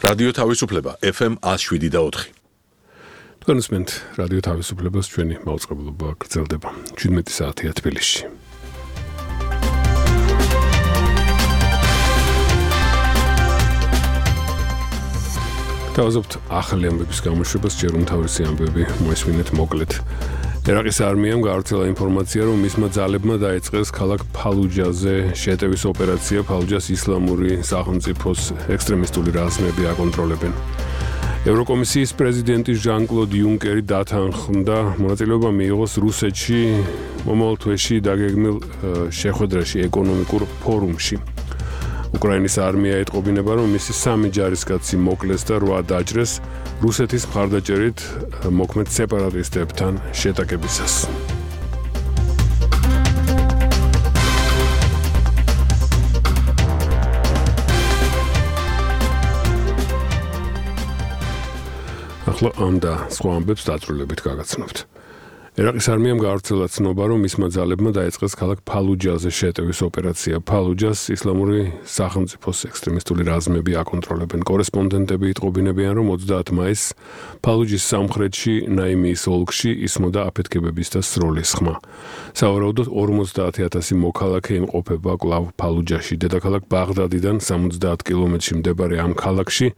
რადიო თავისუფლება FM 107.4. თქვენსმენთ რადიო თავისუფლებას ჩვენი მაუწყებლობა გრძელდება 17 საათია თბილისში. თავაზობთ ახალი ამბების გამოშვებას, ჯერ უმთავრესი ამბები მოესმინეთ მოკლედ. ერაყის არმიამ გაავრცელა ინფორმაცია, რომ მისმა ძალებმა დაიწყეს ქალაქ ფალუჯაზე შეტევის ოპერაცია. ფალუჯას ისლამური სახელმწიფოს ექსტრემისტული რაზმები აკონტროლებენ. ევროკომისიის პრეზიდენტი ჟან-კლოდ იუნკერი დათანხმდა, მონაწილეობა მიიღოს რუსეთში მომავალ თვეში დაგეგმილ შეხვედრაში ეკონომიკურ ფორუმში. უკრაინის არმია ეტყობინება, რომ მისი 3 ჯარისკაცი მოკლეს და 8 დაჭრეს რუსეთის მხარდაჭერით მოქმედ სეპარატისტებთან შეტაკებისას. ახლა ამ და სხვა ამბებს დაწვრილებით გაგაცნობთ. ერაყის არმიამ გაავრცელა ცნობა, რომ მისმა ძალებმა დაიწყეს ქალაქ ფალუჯაზე შეტევის ოპერაცია. ფალუჯას ისლამური სახელმწიფოს ექსტრემისტული რაზმები აკონტროლებენ. კორესპონდენტები იტყობინებიან, რომ 30 მაისს ფალუჯის სამხრეთში ნაიმიის ოლქში ისმოდა აფეთქებების და სროლის ხმა. სავარაუდოდ 50,000 მოქალაქე იმყოფება კვლავ ფალუჯაში. დედაქალაქ ბაღდადიდან 70 კილომეტრში მდებარე ამ ქალაქში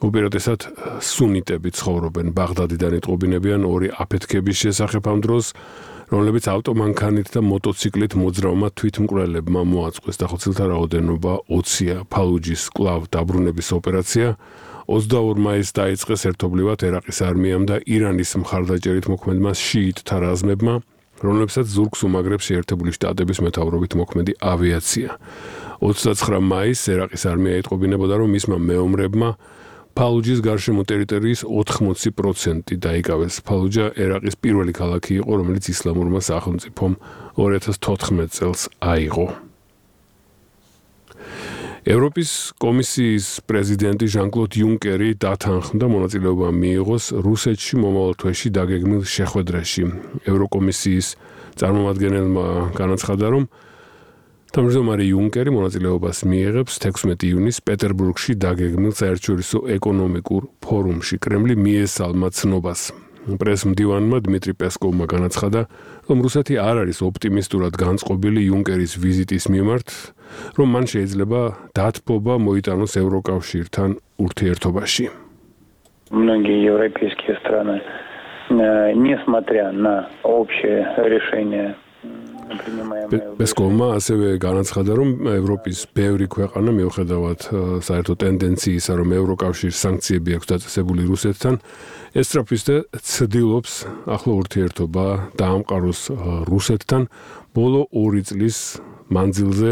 უპირატესად სუნიტები ცხოვრობენ. ბაღდადიდან იტყობინებიან 2 აფეთქების შესახებ ამ დროს, რომლებიც ავტომანქანით და მოტოციკლით მოძრავმა თვითმკვლელებმა მოაწყვეს. დახოცილთა რაოდენობა 20-ია. ფალუჯის კვლავ დაბრუნების ოპერაცია 22 მაისს დაიწყეს ერთობლივად ერაყის არმიამ და ირანის მხარდაჭერით მოქმედმა შიიტთა რაზმებმა, რომლებსაც ზურგს უმაგრებს შეერთებული შტატების მეთაურობით მოქმედი ავიაცია. 29 მაისს ერაყის არმია იტყობინებოდა, რომ მისმა მეომრებმა ფალუჯის გარშემო ტერიტორიის 80% დაიკავეს. ფალუჯა ერაყის პირველი ქალაქი იყო, რომელიც ისლამურმა სახელმწიფომ 2014 წელს აიღო. ევროპის კომისიის პრეზიდენტი ჟან-კლოდ იუნკერი დათანხმდა, მონაწილეობა მიიღოს რუსეთში მომავალ თვეში დაგეგმილ შეხვედრაში. ევროკომისიის წარმომადგენელმა განაცხადა, რომ თავმჯდომარე იუნკერი მონაწილეობას მიიღებს 16 ივნისს პეტერბურგში დაგეგმილ საერთაშორისო ეკონომიკურ ფორუმში. კრემლი მიესალმა ცნობას. პრესმდივანმა დმიტრი პესკოვმა განაცხადა, რომ რუსეთი არ არის ოპტიმისტურად განწყობილი იუნკერის ვიზიტის მიმართ, რომ მან შეიძლება დათბობა მოიტანოს ევროკავშირთან ურთიერთობაში. Многие европейские страны, несмотря на общее решение პესკოვმა ასევე განაცხადა, რომ ევროპის ბევრი ქვეყანა მიუხედავად საერთო ტენდენციისა, რომ ევროკავშირის სანქციები აქვს დაწესებული რუსეთთან, ესწრაფვის და ცდილობს ახლო ურთიერთობა დაამყაროს რუსეთთან ბოლო 2 წლის მანძილზე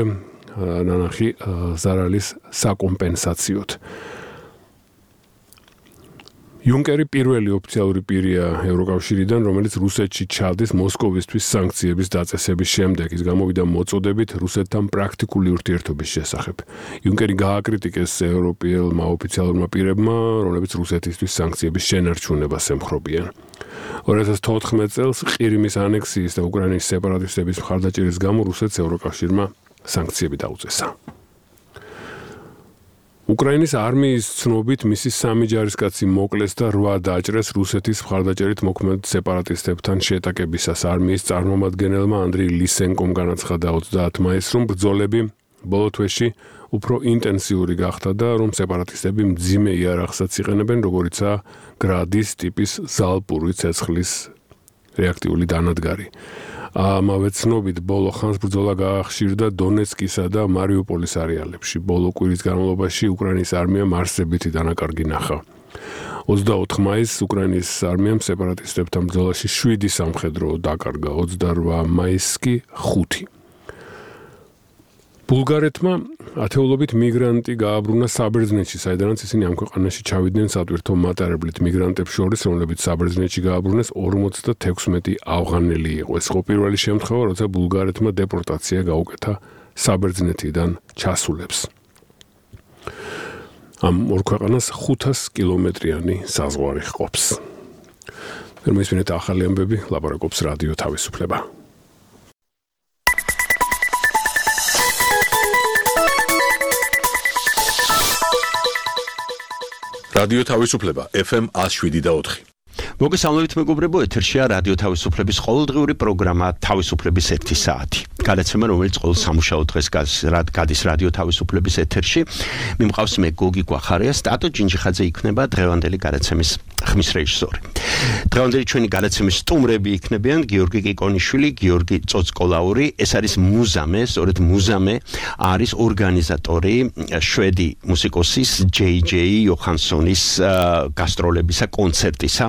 ნანახი ზარალის საკომპენსაციოდ. იუნკერი პირველი ოფიციალური პირია ევროკავშირიდან, რომელიც რუსეთში ჩადის მოსკოვისთვის სანქციების დაწესების შემდეგ. ის გამოვიდა მოწოდებით რუსეთთან პრაქტიკული ურთიერთობის შესახებ. იუნკერი გააკრიტიკეს ევროპელმა ოფიციალურმა პირებმა, რომლებიც რუსეთისთვის სანქციების შენარჩუნებას ემხრობიან. 2014 წელს ყირიმის ანექსიის და უკრაინის სეპარატისტების მხარდაჭერის გამო რუსეთს ევროკავშირმა სანქციები დაუწესა. უკრაინის არმიის ცნობით მისი 3 ჯარისკაცი მოკლეს და 8 დაჭრეს რუსეთის მხარდაჭერით მოქმედ სეპარატისტებთან შეტაკებისას. არმიის წარმომადგენელმა ანდრეი ლისენკომ განაცხადა 30 მაისს, რომ ბრძოლები ბოლო თვეში უფრო ინტენსიური გახდა და რომ სეპარატისტები მძიმე იარაღსაც იყენებენ, როგორიცაა გრადის ტიპის ზალპური ცეცხლის რეაქტიული დანადგარი. ამავე ცნობით ბოლო ხანს ბრძოლა გაახშირდა დონეცკისა და მარიუპოლის არეალებში. ბოლო კვირის განმავლობაში უკრაინის არმიამ არსებითი დანაკარგი ნახა. 24 მაისს უკრაინის არმიამ სეპარატისტებთან ბრძოლაში 7 სამხედრო დაკარგა, 28 მაისს კი 5. ბულგარეთმა ათეულობით მიგრანტი გააბრუნა საბერძნეთში, საიდანაც ისინი ამ ქვეყანაში ჩავიდნენ სატვირთო მატარებლით. მიგრანტებს შორის, რომლებიც საბერძნეთში გააბრუნეს, 56 ავღანელი იყო. ეს იყო პირველი შემთხვევა, როცა ბულგარეთმა დეპორტაცია გაუკეთა საბერძნეთიდან ჩასულებს. ამ ორ ქვეყანას 500 კილომეტრიანი საზღვარი ჰყოფს. მისმინეთ ახალი ამბები, ლაპარაკობს რადიო თავისუფლება. რადიო თავისუფლება FM 107.4. მოგესალმებით მეგობრებო, ეთერშია რადიო თავისუფლების ყოველდღიური პროგრამა თავისუფლების 1 საათი. გადაცემა, რომელიც ყოველ სამუშაო დღეს გადის რადიო თავისუფლების ეთერში. მიმყავს მე გოგი გვახარია, სტატო ჯინჯიხაძე იქნება დღევანდელი გადაცემის ხმის რეჟისორი. დღევანდელი ჩვენი გადაცემის სტუმრები იქნებიან გიორგი კიკონიშვილი, გიორგი წოწკოლაური, ეს არის მუზამე, სწორედ მუზამე არის ორგანიზატორი შვედი მუსიკოსის JJ იოჰანსონის გასტროლებისა კონცერტისა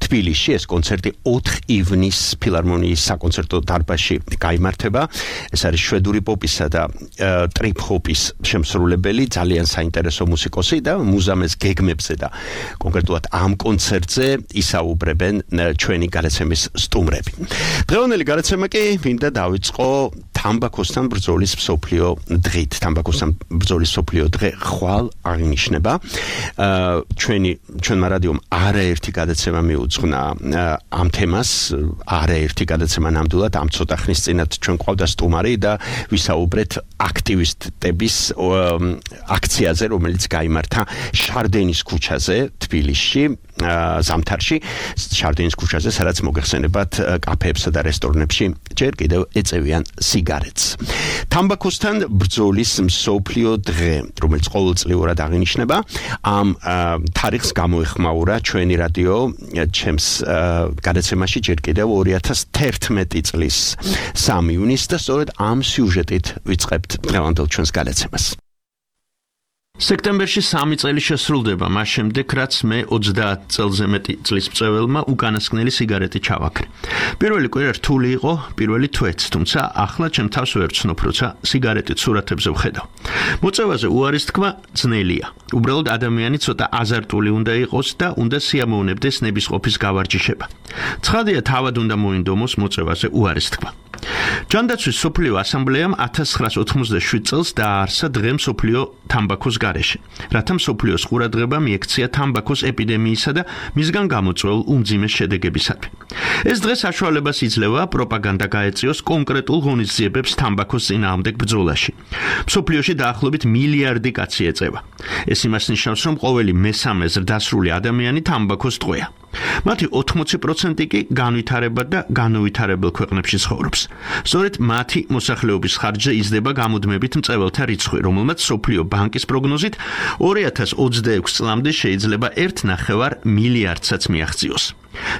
თბილისში. ეს კონცერტი 4 ივნის ფილარმონიის საკონცერტო დარბაზში გაიმართება. ეს არის შვედური პოპისა და ტრიპ ჰოპის შემსრულებელი, ძალიან საინტერესო მუსიკოსი და მუზამეს გეგმებზე და კონკრეტულად ამ კონცერტზე ისაუბრებენ ჩვენი გადაცემის სტუმრები. დღევანდელი გადაცემა კი მინდა დავიწყო თამბაქოსთან ბრძოლის მსოფლიო დღით. თამბაქოსთან ბრძოლის მსოფლიო დღე ხვალ აღინიშნება. ჩვენმა რადიომ არაერთი გადაცემა მიუძღვნა ამ თემას, არაერთი გადაცემა ნამდვილად ამ ცოტა ხნის წინათ ჩვენ ყავდა სტუმარი და ვისაუბრეთ აქტივისტების აქციაზე, რომელიც გაიმართა შარდენის ქუჩაზე თბილისში, ზამთარში, შარდენის ქუჩაზე, სადაც მოგეხსენებათ კაფეებსა და რესტორნებში ჯერ კიდევ ეწევიან სიგარეტს. თამბაქოსთან ბრძოლის მსოფლიო დღე, რომელიც ყოველწლიურად აღინიშნება, ამ თარიღს გამოეხმაურა ჩვენი რადიო ჩემს გადაცემაში ჯერ კიდევ 2011 წლის 3 ივნის და სწორედ ამ სიუჟეტით ვიწყებთ დღევანდელ ჩვენს გადაცემას. სექტემბერში 3 წელი შესრულდება მას შემდეგ, რაც მე 30 წელზე მეტი წლის მწვეველმა უკანასკნელი სიგარეტი ჩავაქრე. პირველი კვირა რთული იყო, პირველი თვეც, თუმცა ახლა ჩემ თავს ვერ ვცნობ, როცა სიგარეტით სურათებზე ვხედავ. მოწევაზე უარის თქვა ძნელია. უბრალოდ ადამიანი ცოტა აზარტული უნდა იყოს და უნდა სიამოვნებდეს ნებისყოფის გავარჯიშება. ცხადია, თავად უნდა მოინდომოს მოწევაზე უარის თქვა. ჯანდაცვის მსოფლიო ასამბლეამ 1987 წელს დააარსა დღე მსოფლიო თამბაქოს გარეშე, რათა მსოფლიოს ყურადღება მიექცია თამბაქოს ეპიდემიისა და მისგან გამოწვეულ უმძიმეს შედეგებისადმი. ეს დღე საშუალებას იძლევა პროპაგანდა გაეწიოს კონკრეტულ ღონისძიებებს თამბაქოს წინააღმდეგ ბრძოლაში. მსოფლიოში დაახლოებით მილიარდი კაცი ეწევა. ეს იმას ნიშნავს, რომ ყოველი მესამე ზრდასრული ადამიანი თამბაქოს ტყვეა. მათი 80% კი განვითარებად და განუვითარებელ ქვეყნებში ცხოვრობს. სწორედ მათი მოსახლეობის ხარჯზე იზრდება გამუდმებით მწვეველთა რიცხვი, რომელმაც მსოფლიო ბანკის პროგნოზით 2026 წლამდე შეიძლება 1,9 მილიარდსაც მიაღწიოს.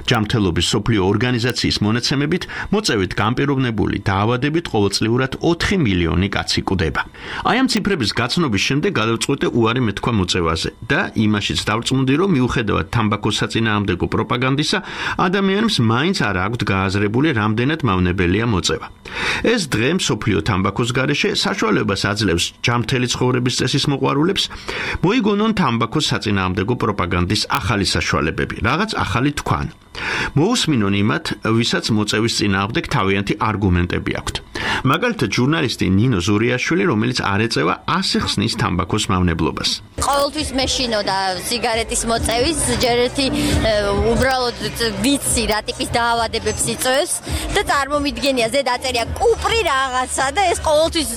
ჯანმრთელობის მსოფლიო ორგანიზაციის მონაცემებით, მოწევით განპირობებული დაავადებით ყოველწლიურად 4 მილიონი კაცი კვდება. აი ამ ციფრების გაცნობის შემდეგ გადავწყვიტე უარი მეთქვა მოწევაზე და იმაშიც დავწმუნდი, რომ მიუხედავად თამბაქოს საწინააღმდეგო პროპაგანდისა, ადამიანებს მაინც არ აქვთ გააზრებული, რამდენად მავნებელია მოწევა. ეს დღე მსოფლიო თამბაქოს გარეშე საშუალებას აძლევს ჯანმრთელი ცხოვრების წესის მოყვარულებს მოიგონონ თამბაქოს საწინააღმდეგო პროპაგანდის ახალი საშუალებები, რაღაც ახალი თქვა. მოусმინონ იმათ, ვისაც მოწევის წინააღმდეგ თავიანთი არგუმენტები აქვთ. მაგალითად, ჟურნალისტი ნინო ზურიაშვილი, რომელიც არ ეწევა, ასე ხსნის თამბაქოს მავნებლობას. ყოველთვის მეშინო და სიგარეტის მოწევის ჯერ ერთი უბრალოდ ვიცი რა ტიპის დაავადებებს იწვევს და წარმომიდგენია ზე დაწერია კუპრი რაღაცა და ეს ყოველთვის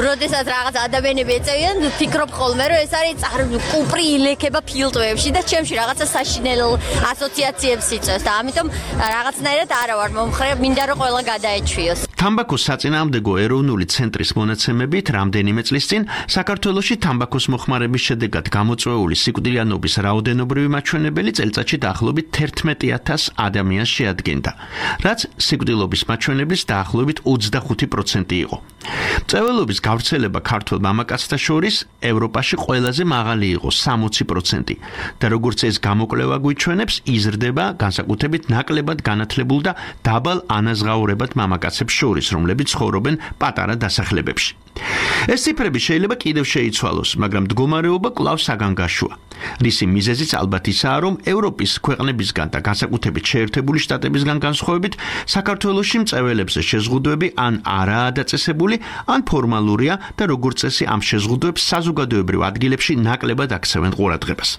როდესაც რაღაც ადამიანები ეწევიან, ფიქრობ ხოლმე, რომ ეს არის კუპრი ილექება ფილტვებში და ჩემში რაღაცა საშინელ ასოციაციებს იწვევს და ამიტომ რაღაცნაირად არა ვარ მომხრე, მინდა რომ ყველა გადაეჩვიოს. თამბაქოს საწინააღმდეგო ეროვნული ცენტრის მონაცემებით, რამდენიმე წლის წინ საქართველოში თამბაქოს მოხმარების შედეგად გამოწვეული სიკვდილიანობის რაოდენობრივი მაჩვენებელი წელიწადში დაახლოებით 11,000 ადამიანს შეადგენდა, რაც სიკვდილობის მაჩვენებლის დაახლოებით 25% იყო. მწვერვალობის გავრცელება ქართველ მამაკაცთა შორის ევროპაში ყველაზე მაღალი იყო 60% და როგორც ეს გამოკვლევა გვიჩვენებს, იზრდება განსაკუთრებით ნაკლებად განათლებულ და დაბალ ანაზღაურებად მამაკაცებს შორის, რომლებიც ცხოვრობენ პატარა დასახლებებში. ეს ციფრები შეიძლება კიდევ შეიცვალოს, მაგრამ მდგომარეობა კვლავ საგანგაშოა. რისი მიზეზიც ალბათ ისაა, რომ ევროპის ქვეყნებისგან და განსაკუთრებით შეერთებული შტატებისგან განსხვავებით, საქართველოში მწვერვალებზე შეზღუდვები ან არაა დაწესებული, ან ფორმალურია და როგორც წესი ამ შეზღუდვებს საზოგადოებრივ ადგილებში ნაკლებად აქცევენ ყურადღებას.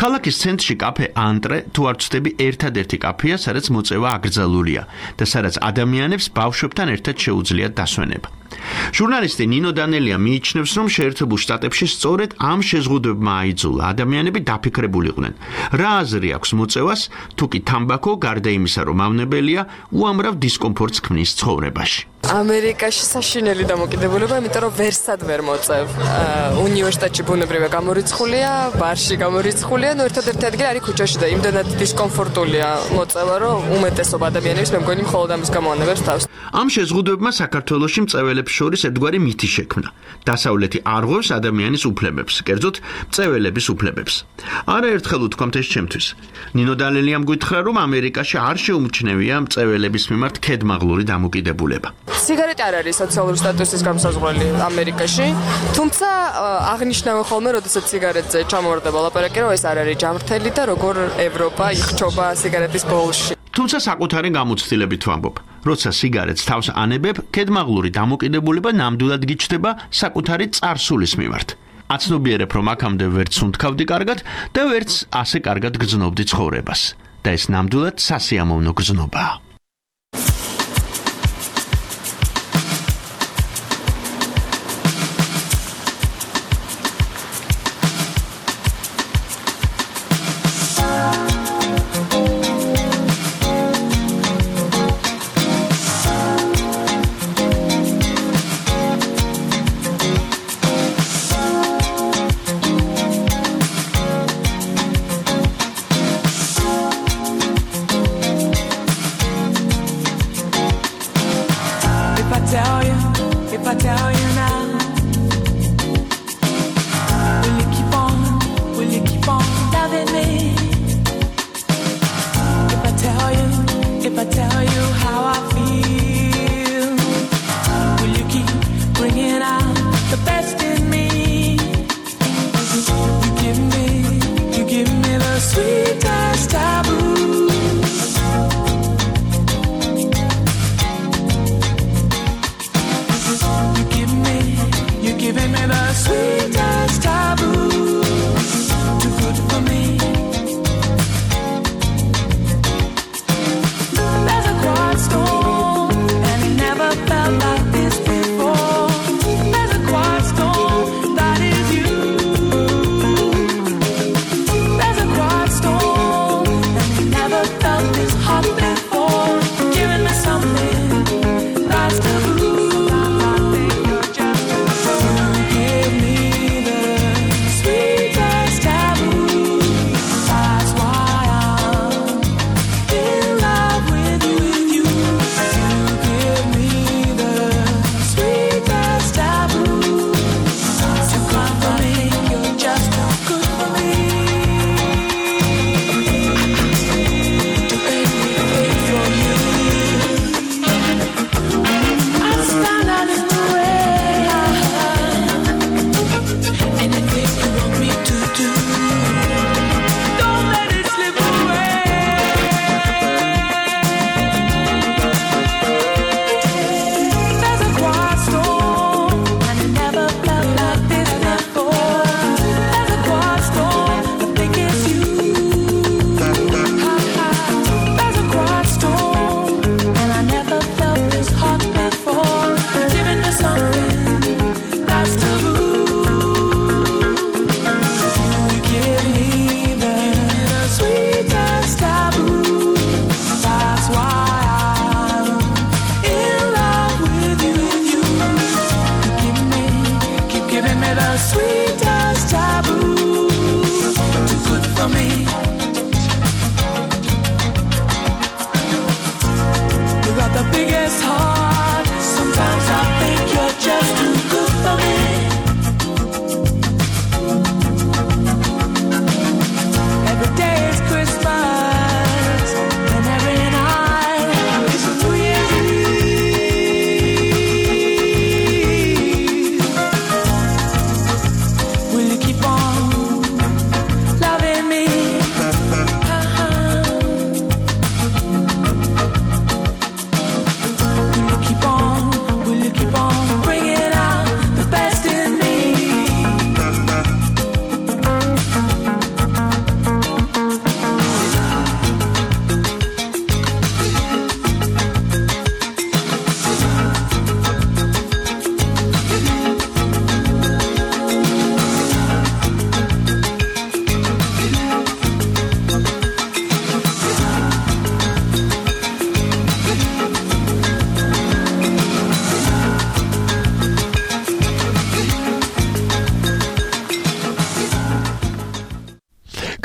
ქალაქის ცენტრში კაფე ანტრე თუ არ ვცდები ერთადერთი კაფეა, სადაც მოწევა აკრძალულია და სადაც ადამიანებს ბავშვებთან ერთად შეუძლიათ დასვენება. ჟურნალისტი ნინო დანელია მიიჩნევს, რომ შეერთებულ შტატებში სწორედ ამ შეზღუდვებმა აიძულა ადამიანები დაფიქრებულიყვნენ. რა აზრი აქვს მოწევას, თუ კი თამბაქო გარდა იმისა, რომ ავნებელია, უამრავ დისკომფორტს ქმნის ცხოვრებაში. ამერიკაში საშინელი დამოკიდებულება, იმიტომ რომ ვერსად ვერ მოწევ. უნივერსიტეტში ბუნებრივია გამორიცხულია, ბარში გამორიცხულია, ერთადერთი ადგილი არის ქუჩაში და იმდენად დისკომფორტულია მოწევა, რომ უმეტესობა ადამიანებს მე მგონი მხოლოდ ამის გამო ანებებს თავს. ამ შეზღუდვებმა საქართველოში მწვეველებს შორის ერთგვარი მითი შექმნა. დასავლეთი არ ღვევს ადამიანის უფლებებს, კერძოდ მწვეველების უფლებებს. არაერთხელ უთქვამთ ეს ჩემთვის. ნინო დანელიამ გითხრა, რომ ამერიკაში არ შეუმჩნევია მწვეველების მიმართ ქედმაღლური დამოკიდებულება. სიგარეტი არ არის სოციალური სტატუსის გამოსაზღვრელი ამერიკაში, თუმცა აღნიშნავენ ხოლმე, როდესაც სიგარეტზე ჩამოვარდება ლაპარაკი, რომ ეს არ არის ჯამრთელი და როგორ ევროპა იხჩობა სიგარეტის ბოლში. თუმცა საკუთარი გამოცდილებით ვამბობ, როცა სიგარეტს თავს ანებებ, ქედმაღლური დამოკიდებულება ნამდვილად გიჩნდება საკუთარი წარსულის მიმართ. აცნობიერებ, რომ აქამდე ვერც უნთქავდი კარგად და ვერც ასე კარგად გრძნობდი ცხოვრებას. და ეს ნამდვილად სასიამოვნო გრძნობაა. You give me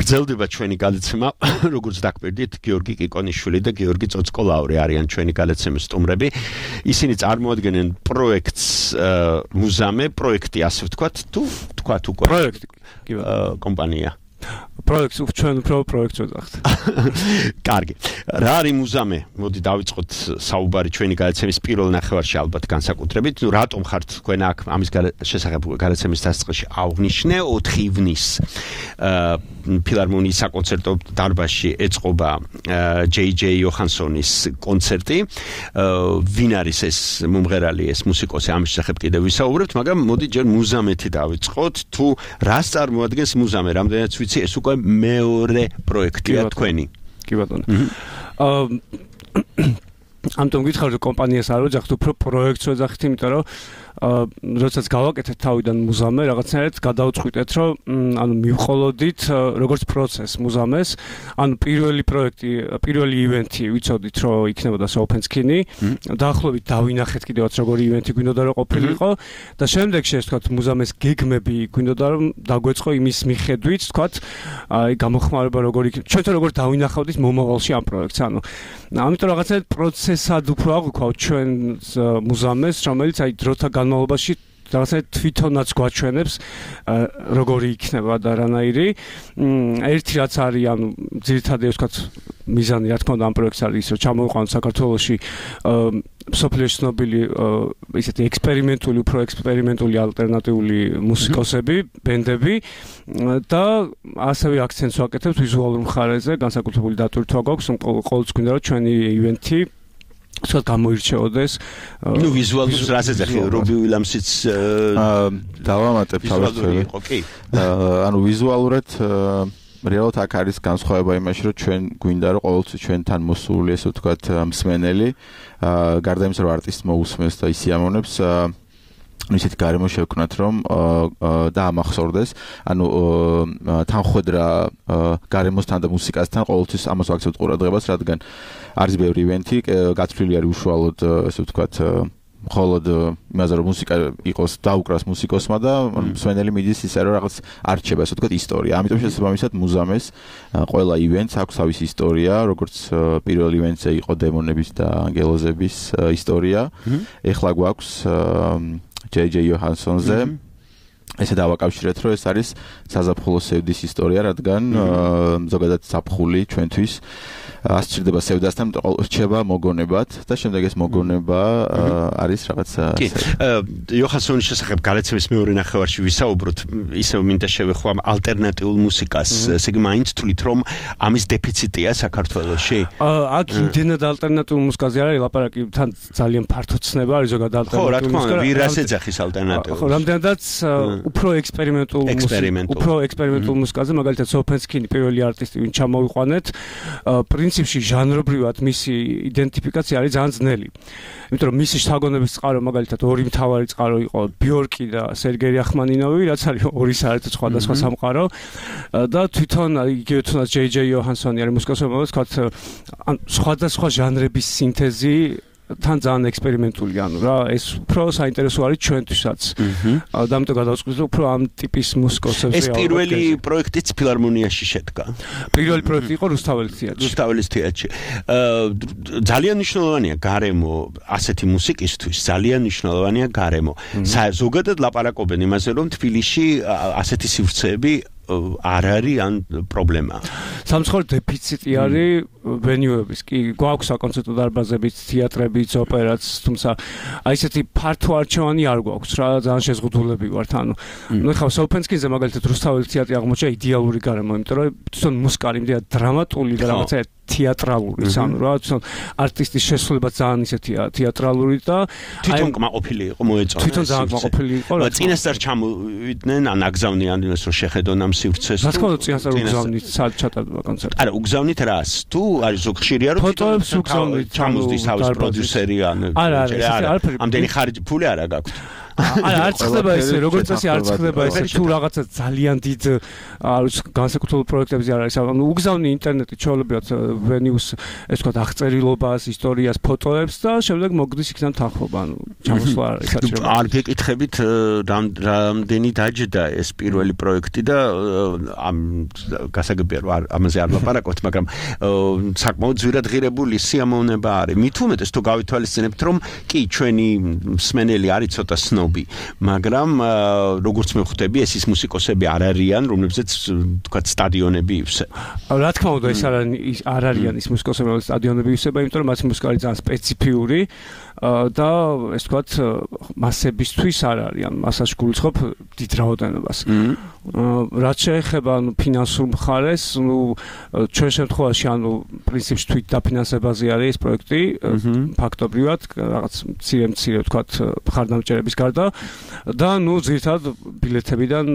გრძელდება ჩვენი გადაცემა, როგორც დაგვერდით, გიორგი კიკონიშვილი და გიორგი წოცკოლაური არიან ჩვენი გადაცემის სტუმრები. ისინი წარმოადგენენ პროექტს მუზამე, პროექტი ასე ვთქვათ, თუ თქვათ უკვე. პროექტი, კომპანია. პროექტს ჩვენ უფრო პროექტს ვეძახთ. კარგი. რა არის მუზამე? მოდი დავიწყოთ საუბარი ჩვენი გადაცემის პირველ ნახევარში ალბათ განსაკუთრებით. ნუ რატომ ხართ თქვენ აქ ამის შესახებ გადაცემის დასაწყისში აღვნიშნე 4 ივნისს ფილარმონიის საკონცერტო დარბაზში ეწყობა JJ იოჰანსონის კონცერტი. ვინ არის ეს მომღერალი, ეს მუსიკოსი, ამის შესახებ კიდევ ვისაუბრებთ, მაგრამ მოდი ჯერ მუზამეთი დავიწყოთ. თუ რას წარმოადგენს მუზამე? რამდენიც ვიცი, ეს უკვე მეორე პროექტია თქვენი. კი ბატონო. ამიტომ გითხარ რომ კომპანიას არ ვეძახთ, უფრო პროექტს ვეძახით, იმიტომ რომ როდესაც გავაკეთეთ თავიდან მუზამე, რაღაცნაირად გადავწყვიტეთ, რომ ანუ მივყოლოდით როგორც პროცესს მუზამეს, ანუ პირველი პროექტი, პირველი ივენთი ვიცოდით, რომ იქნებოდა Sopenskini, დაახლოებით დავინახეთ კიდევაც როგორი ივენთი გვინდოდა რომ ყოფილიყო და შემდეგში ეს თქვათ მუზამეს გეგმები გვინდოდა რომ დაგვეწყო იმის მიხედვით, თქვათ, აი გამოხმარება როგორი ჩვენ როგორ დავინახავდით მომავალში ამ პროექტს, ანუ ამიტომ რაღაცნაირად პროცესად უფრო აღვქვათ ჩვენ მუზამეს, რომელიც აი დროთა განმავლობაში რაღაცნაირად თვითონაც გვაჩვენებს როგორი იქნება და რანაირი. ერთი რაც არის, ანუ ძირითადად ვთქვათ, მიზანი რა თქმა უნდა ამ პროექტს არის ის, რომ ჩამოვიყვანოთ საქართველოში მსოფლიოში ცნობილი ისეთი ექსპერიმენტული ალტერნატიული მუსიკოსები, ბენდები და ასევე აქცენტს ვაკეთებთ ვიზუალურ მხარეზე, განსაკუთრებული დატვირთვა გვაქვს, ყოველთვის გვინდა რომ ჩვენი ივენთი სულ გამოირჩეოდეს. ნუ ვიზუალურს რას ეძახი, რობი უილიამსიც დავამატებ თავისთავად. კი. ანუ ვიზუალურად რეალურად აქ არის განსხვავება იმაში, რომ ჩვენ გვინდა რომ ყოველთვის ჩვენთან მოსული, ესე ვთქვათ, მსმენელი, გარდა იმისა, რომ არტისტს მოусმენს და ისიამოვნებს, ისეთი გარემო შევქმნათ, რომ და ამახსოვრდეს, ანუ თანხვედრა გარემოსთან და მუსიკასთან ყოველთვის ამას ვაქცევთ ყურადღებას, რადგან არის ბევრი ივენთი, გათვლილი არის უშუალოდ, ესე ვთქვათ, მხოლოდ იმაზე, რომ მუსიკა იყოს დაუკრას მუსიკოსმა და მსმენელი მიდის ისე, რომ რაღაც არჩება, ესე ვთქვათ, ისტორია. ამიტომ შესაბამისად მუზამეს ყველა ივენტს აქვს თავისი ისტორია, როგორც პირველ ივენტზე იყო დემონების და ანგელოზების ისტორია. ეხლა გვაქვს JJ იოჰანსონზე. ესე დავაკავშირეთ, რომ ეს არის საზაფხულო სევდის ისტორია, რადგან ზოგადად საფხული ჩვენთვის ასჭირდება სევდასთან, რჩება მოგონებად და შემდეგ ეს მოგონება არის რაღაცა. კი, იოჰანსონის შესახებ გადაცემის მეორე ნახევარში ვისაუბროთ, ისევ მინდა შევეხო ამ ალტერნატიულ მუსიკას. ესე იგი, მაინც თვლით, რომ ამის დეფიციტია საქართველოში? აქ იმდენად ალტერნატიულ მუსიკაზე არის ლაპარაკი, თან ძალიან ფართო ცნება არის ზოგადად ალტერნატიულ მუსიკაზე. ხო, რა თქმა უნდა, ვირას ეძახის ალტერნატიულს? ხო, რამდენადაც უფრო ექსპერიმენტულ მუსიკაზე, მაგალითად Sopenskini პირველი არტისტი, ვინ ჩამოვიყვანეთ, პრინციპში ჟანრობრივად მისი იდენტიფიკაცია არის ძალიან ძნელი. იმიტომ რომ მისი შთაგონების წყარო მაგალითად ორი მთავარი წყარო იყო ბიორკი და სერგეი რახმანინოვი, რაც არის ორი საერთოდ სხვადასხვა სამყარო და თვითონ იგივე თუნდაც JJ იოჰანსონი არის მუსიკოსი, რომელიც თქვათ სხვადასხვა ჟანრების სინთეზი თან ძალიან ექსპერიმენტული, ანუ რა, ეს უფრო საინტერესო არის ჩვენთვისაც. და ამიტომ გადავწყვიტე უფრო ამ ტიპის მუსიკოსებს. ეს პირველი პროექტიც ფილარმონიაში შედგა. პირველი პროექტი იყო რუსთაველის თეატრში. ძალიან მნიშვნელოვანია გარემო ასეთი მუსიკისთვის, ძალიან მნიშვნელოვანია გარემო. ზოგადად ლაპარაკობენ იმაზე, რომ თბილისში ასეთი სივრცეები არ არის ან პრობლემა. სამწუხაროდ დეფიციტი არის ვენიუების. კი, გვაქვს საკონცერტო დარბაზებიც, თეატრებიც, ოპერაც, თუმცა აი ესეთი ფართო არჩევანი არ გვაქვს რა, ძალიან შეზღუდულები ვართ. ანუ ეხლა Sopenskini-ზე მაგალითად რუსთაველის თეატრი აღმოჩნდა იდეალური გარემო, იმიტომ რომ თვითონ მუსიკა იმდენად დრამატული და რაღაცა თეატრალური, ანუ რა, თვითონ არტისტის შესრულება ძალიან ისეთია თეატრალური და თვითონ კმაყოფილი იყო, მოეწონა. თვითონ ძალიან კმაყოფილი იყო. წინასწარ ჩამოვიდნენ, ან აგზავნიან იმას, რომ შეხედონ ამ სივრცეს. რა თქმა უნდა, წინასწარ უგზავნით ჩატარდება კონცერტი. არა, უგზავნით რას? თუ არის ზოგ ხშირია, რომ ფოტოებს უგზავნით, ჩამოსდის თავის პროდიუსერი ან არა, ამდენი ხარჯი ფული არა გაქვთ. არა, არ ხდება ესე, როგორც წესი არ ხდება ესე, თუ რაღაცა ძალიან დიდ განსაკუთრებულ პროექტებზე არ არის. ანუ უგზავნი ინტერნეტით ჩვეულებრივად ვენიუს ეს თქვა აღწერილობას, ისტორიას, ფოტოებს და შემდეგ მოგდის იქიდან თანხმობა, ანუ ჩამოსვლა არ არის საჭირო. არ გეკითხებით რამდენი დაჯდა ეს პირველი პროექტი და ამ გასაგებია რომ ამაზე არ ლაპარაკობთ, მაგრამ საკმაოდ ძვირადღირებული სიამოვნება არის. მით უმეტეს თუ გავითვალისწინებთ რომ კი ჩვენი მსმენელი არის ცოტა სნობი, მაგრამ როგორც მე ხვდები ეს ის მუსიკოსები არ არიან, რომლებზეც თქვა სტადიონები ივსება. რა თქმა უნდა ეს არ არიან ის მუსიკოსები, რომლებზეც სტადიონები ივსება, იმიტომ რომ მათი მუსიკა არის ძალიან სპეციფიური და ეს თქვათ მასებისთვის არ არიან, მასაში გულისხმობ დიდ რაოდენობას. რაც შეეხება ფინანსურ მხარეს, ჩვენ შემთხვევაში პრინციპში თვით დაფინანსებაზე არის ეს პროექტი, ფაქტობრივად რაღაც მცირე თქვათ მხარდამჭერების გარდა და ძირითადად ბილეთებიდან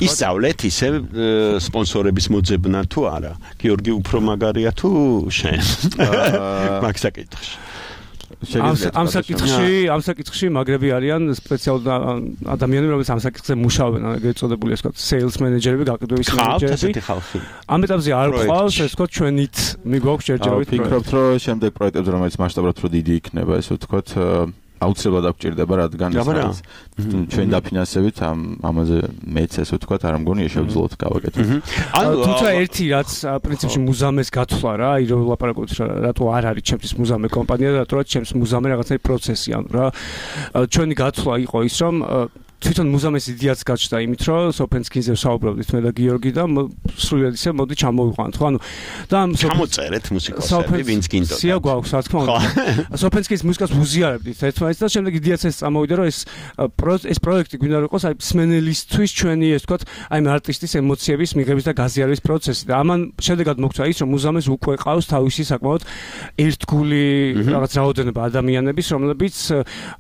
ისწავლეთ ისე სპონსორების მოძებნა თუ არა? გიორგი უფრო მაგარია თუ შენ? მაგ საკითხში. ამ საკითხში მაგრები არიან სპეციალური ადამიანები, რომლებიც ამ საკითხზე მუშაობენ, ეგრეთ წოდებული ეს ვთქვათ sales manager-ები, გაყიდვების manager-ები. ამ ეტაპზე არ გვყავს ეს ვთქვათ ჩვენით მიგვაქვს ჯერჯერობით. ვფიქრობთ, რომ შემდეგ პროექტებზე, რომელიც მასშტაბურად უფრო დიდი იქნება, ესე ვთქვათ აუცილებლად აღჭირდება, რადგან ჩვენ დაფინანსებით ამაზე მეც ესე ვთქვათ, არ მგონია შევძლოთ გავაკეთოთ. თუმცა ერთი რაც პრინციპში მუზამეს გათვლა რა, რომ ლაპარაკობთ რატო არ არის ჩემთვის მუზამე კომპანია და რატო ჩემს მუზამე რაღაცა პროცესი, ანუ რა ჩვენი გათვლა იყო ის რომ თვითონ მუზამეს იდეაც გაჩნდა იმით, რომ სოფენსკინზე ვსაუბრობდით მე და გიორგი და სრულად ისე მოდი ჩამოვიყვანთ, ხო? ანუ და ჩამოწერეთ მუსიკოსები, ვინც გინდოდა. სია გვაქვს, რა თქმა უნდა. სოფენსკის მუსიკას ვუზიარებდით ერთმანეთს და შემდეგ იდეაც ეს წამოვიდა, რომ ეს პროექტი გვინდა რომ იყოს აი მსმენელისთვის ჩვენი ეს ვთქვათ, აი არტისტის ემოციების მიღების და გაზიარების პროცესი და ამან შედეგად მოხდა ის, რომ მუზამეს უკვე ყავს თავისი საკმაოდ ერთგული რაღაც რაოდენობა ადამიანების, რომლებიც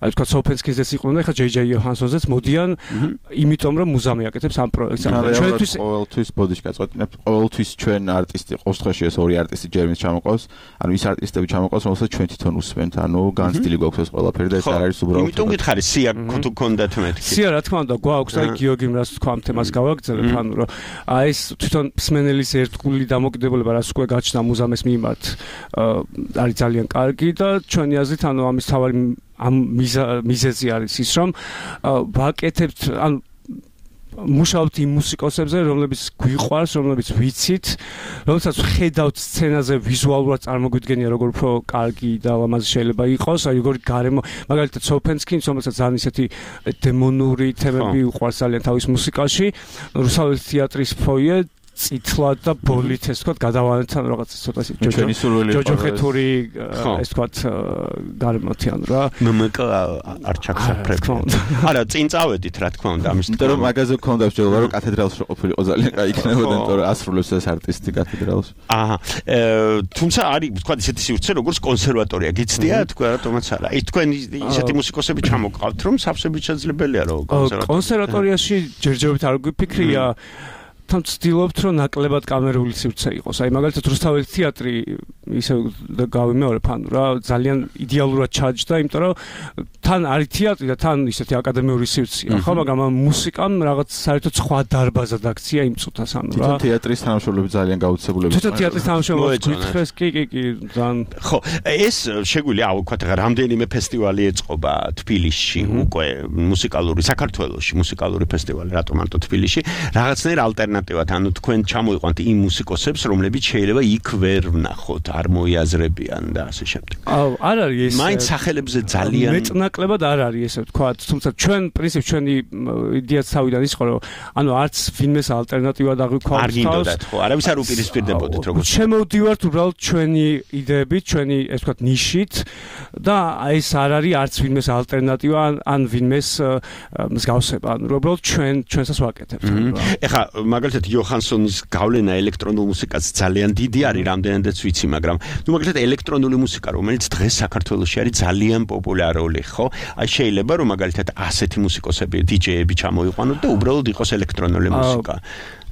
აი ვთქვათ სოფენსკინზეც იყვნენ და ხა ჯეი იოჰანსონზეც იმიტომ რომ მუზამი აკეთებს ამ პროექტს. ჩვენთვის ყოველთვის ბოდიში გაწყვეტინებთ, ყოველთვის ჩვენ არტისტი, ყოველ შემთხვევაში ეს ორი არტისტი ჯერმის ჩამოყავს, ანუ ის არტისტები ჩამოყავს, რომელსაც ჩვენ თვითონ უსმენთ, ანუ განცდილი გვაქვს ეს ყველაფერი და ეს არ არის უბრალოდ. იმიტომ გითხარი სია თუ გქონდათ მეთქი. სია რა თქმა უნდა გვაქვს, აი გიორგიმ რას თქვა ამ თემას გავაგრძელებ, ანუ რომ აი ეს თვითონ მსმენელის ერთგული დამოკიდებულება რას უკვე გაჩნდა მუზამეს მიმართ არის ძალიან კარგი და ჩვენი აზრით ანუ ამის თავარი ამ მიზეზი არის ის რომ ვაკეთებთ ან მუშაობთ იმ მუსიკოსებზე, რომლებიც გვიყვარს, რომლებიც ვიცით, რომელსაც ხედავთ სცენაზე ვიზუალურად წარმოგვიდგენია როგორ უფრო კარგი და ლამაზი შეიძლება იყოს, აი როგორი გარემო, მაგალითად სოფენსკინს, რომელსაც ძალიან ისეთი დემონური თემები უყვარს ძალიან თავის მუსიკაში, რუსთაველის თეატრის ფოიე წითლად და ბოლით ეს ვთქვათ გადავანებთან რაღაც ცოტა ჯოჯოხეთური ეს ვთქვათ გარემოთიან რა მმკ არ ჩაქცეფრებ. არა, წინ წავედით რა თქმა უნდა ამის. იმიტომ რომ მაგაზე გქონდა მსჯელობა რომ კათედრალში ყოფილიყო ძალიან კაი იქნებოდა, იმიტომ რომ ასრულებს ეს არტისტი კათედრალში. აჰა. თუმცა არის ვთქვათ ისეთი სივრცე როგორც კონსერვატორია. გიცდია თქვა რატომაც არა. ის თქვენ ისეთი მუსიკოსები ჩამოყავთ რომ სავსებით შეძლებელია რომ კონსერვატორიაში ჯერჯერობით არ გვიფიქრია თან ცდილობთ რომ ნაკლებად კამერული სივრცე იყოს. აი მაგალითად რუსთაველის თეატრი ისე გავიმეორებ ანუ რა ძალიან იდეალურად ჩაჯდა, იმიტომ რომ თან არის თეატრი და თან ისეთი აკადემიური სივრცეა, ხო, მაგრამ ამ მუსიკამ რაღაც საერთოდ სხვა დარბაზად აქცია იმ წუთას ანუ რა. თვითონ თეატრის თანამშრომლები ძალიან გაუცებულები. თვითონ თეატრის თანამშრომლები გითხრეს კი ძალიან. ხო, ეს შეგვიძლია ვთქვათ რამდენიმე ფესტივალი ეწყობა თბილისში უკვე მუსიკალური საქართველოში, მუსიკალური ფესტივალი, რატომ მარტო თბილისში, რაღაცნაირ ალტერნატივად, ანუ თქვენ ჩამოიყვანთ იმ მუსიკოსებს, რომლებიც შეიძლება იქ ვერ ვნახოთ, არ მოიაზრებიან და ასე შემდეგ. არ არის ეს. მაინც სახელებზე ძალიან მეტნაკლებად არ არის ესე ვთქვათ, თუმცა ჩვენ პრინციპში ჩვენი იდეაც თავიდან ის ხო, რომ ანუ არც ვინმეს ალტერნატივად აღვიქვამთ. არ გინდოდათ ხო, არავის არ უპირისპირდებოდით როგორც. შემოვდივართ უბრალოდ ჩვენი იდეებით, ჩვენი ეს ვთქვათ ნიშით და ეს არ არის არც ვინმეს ალტერნატივა ან ვინმეს მსგავსება, ანუ უბრალოდ ჩვენსაც ვაკეთებთ. ეხლა მაგალითად იოჰანსონის გავლენა ელექტრონულ მუსიკაზე ძალიან დიდი არის, რამდენადაც ვიცი, მაგრამ ნუ მაგალითად ელექტრონული მუსიკა, რომელიც დღეს საქართველოში არის ძალიან პოპულარული, ხო? აი შეიძლება რომ მაგალითად ასეთი მუსიკოსები, დიჯეები ჩამოიყვანოთ და უბრალოდ იყოს ელექტრონული მუსიკა.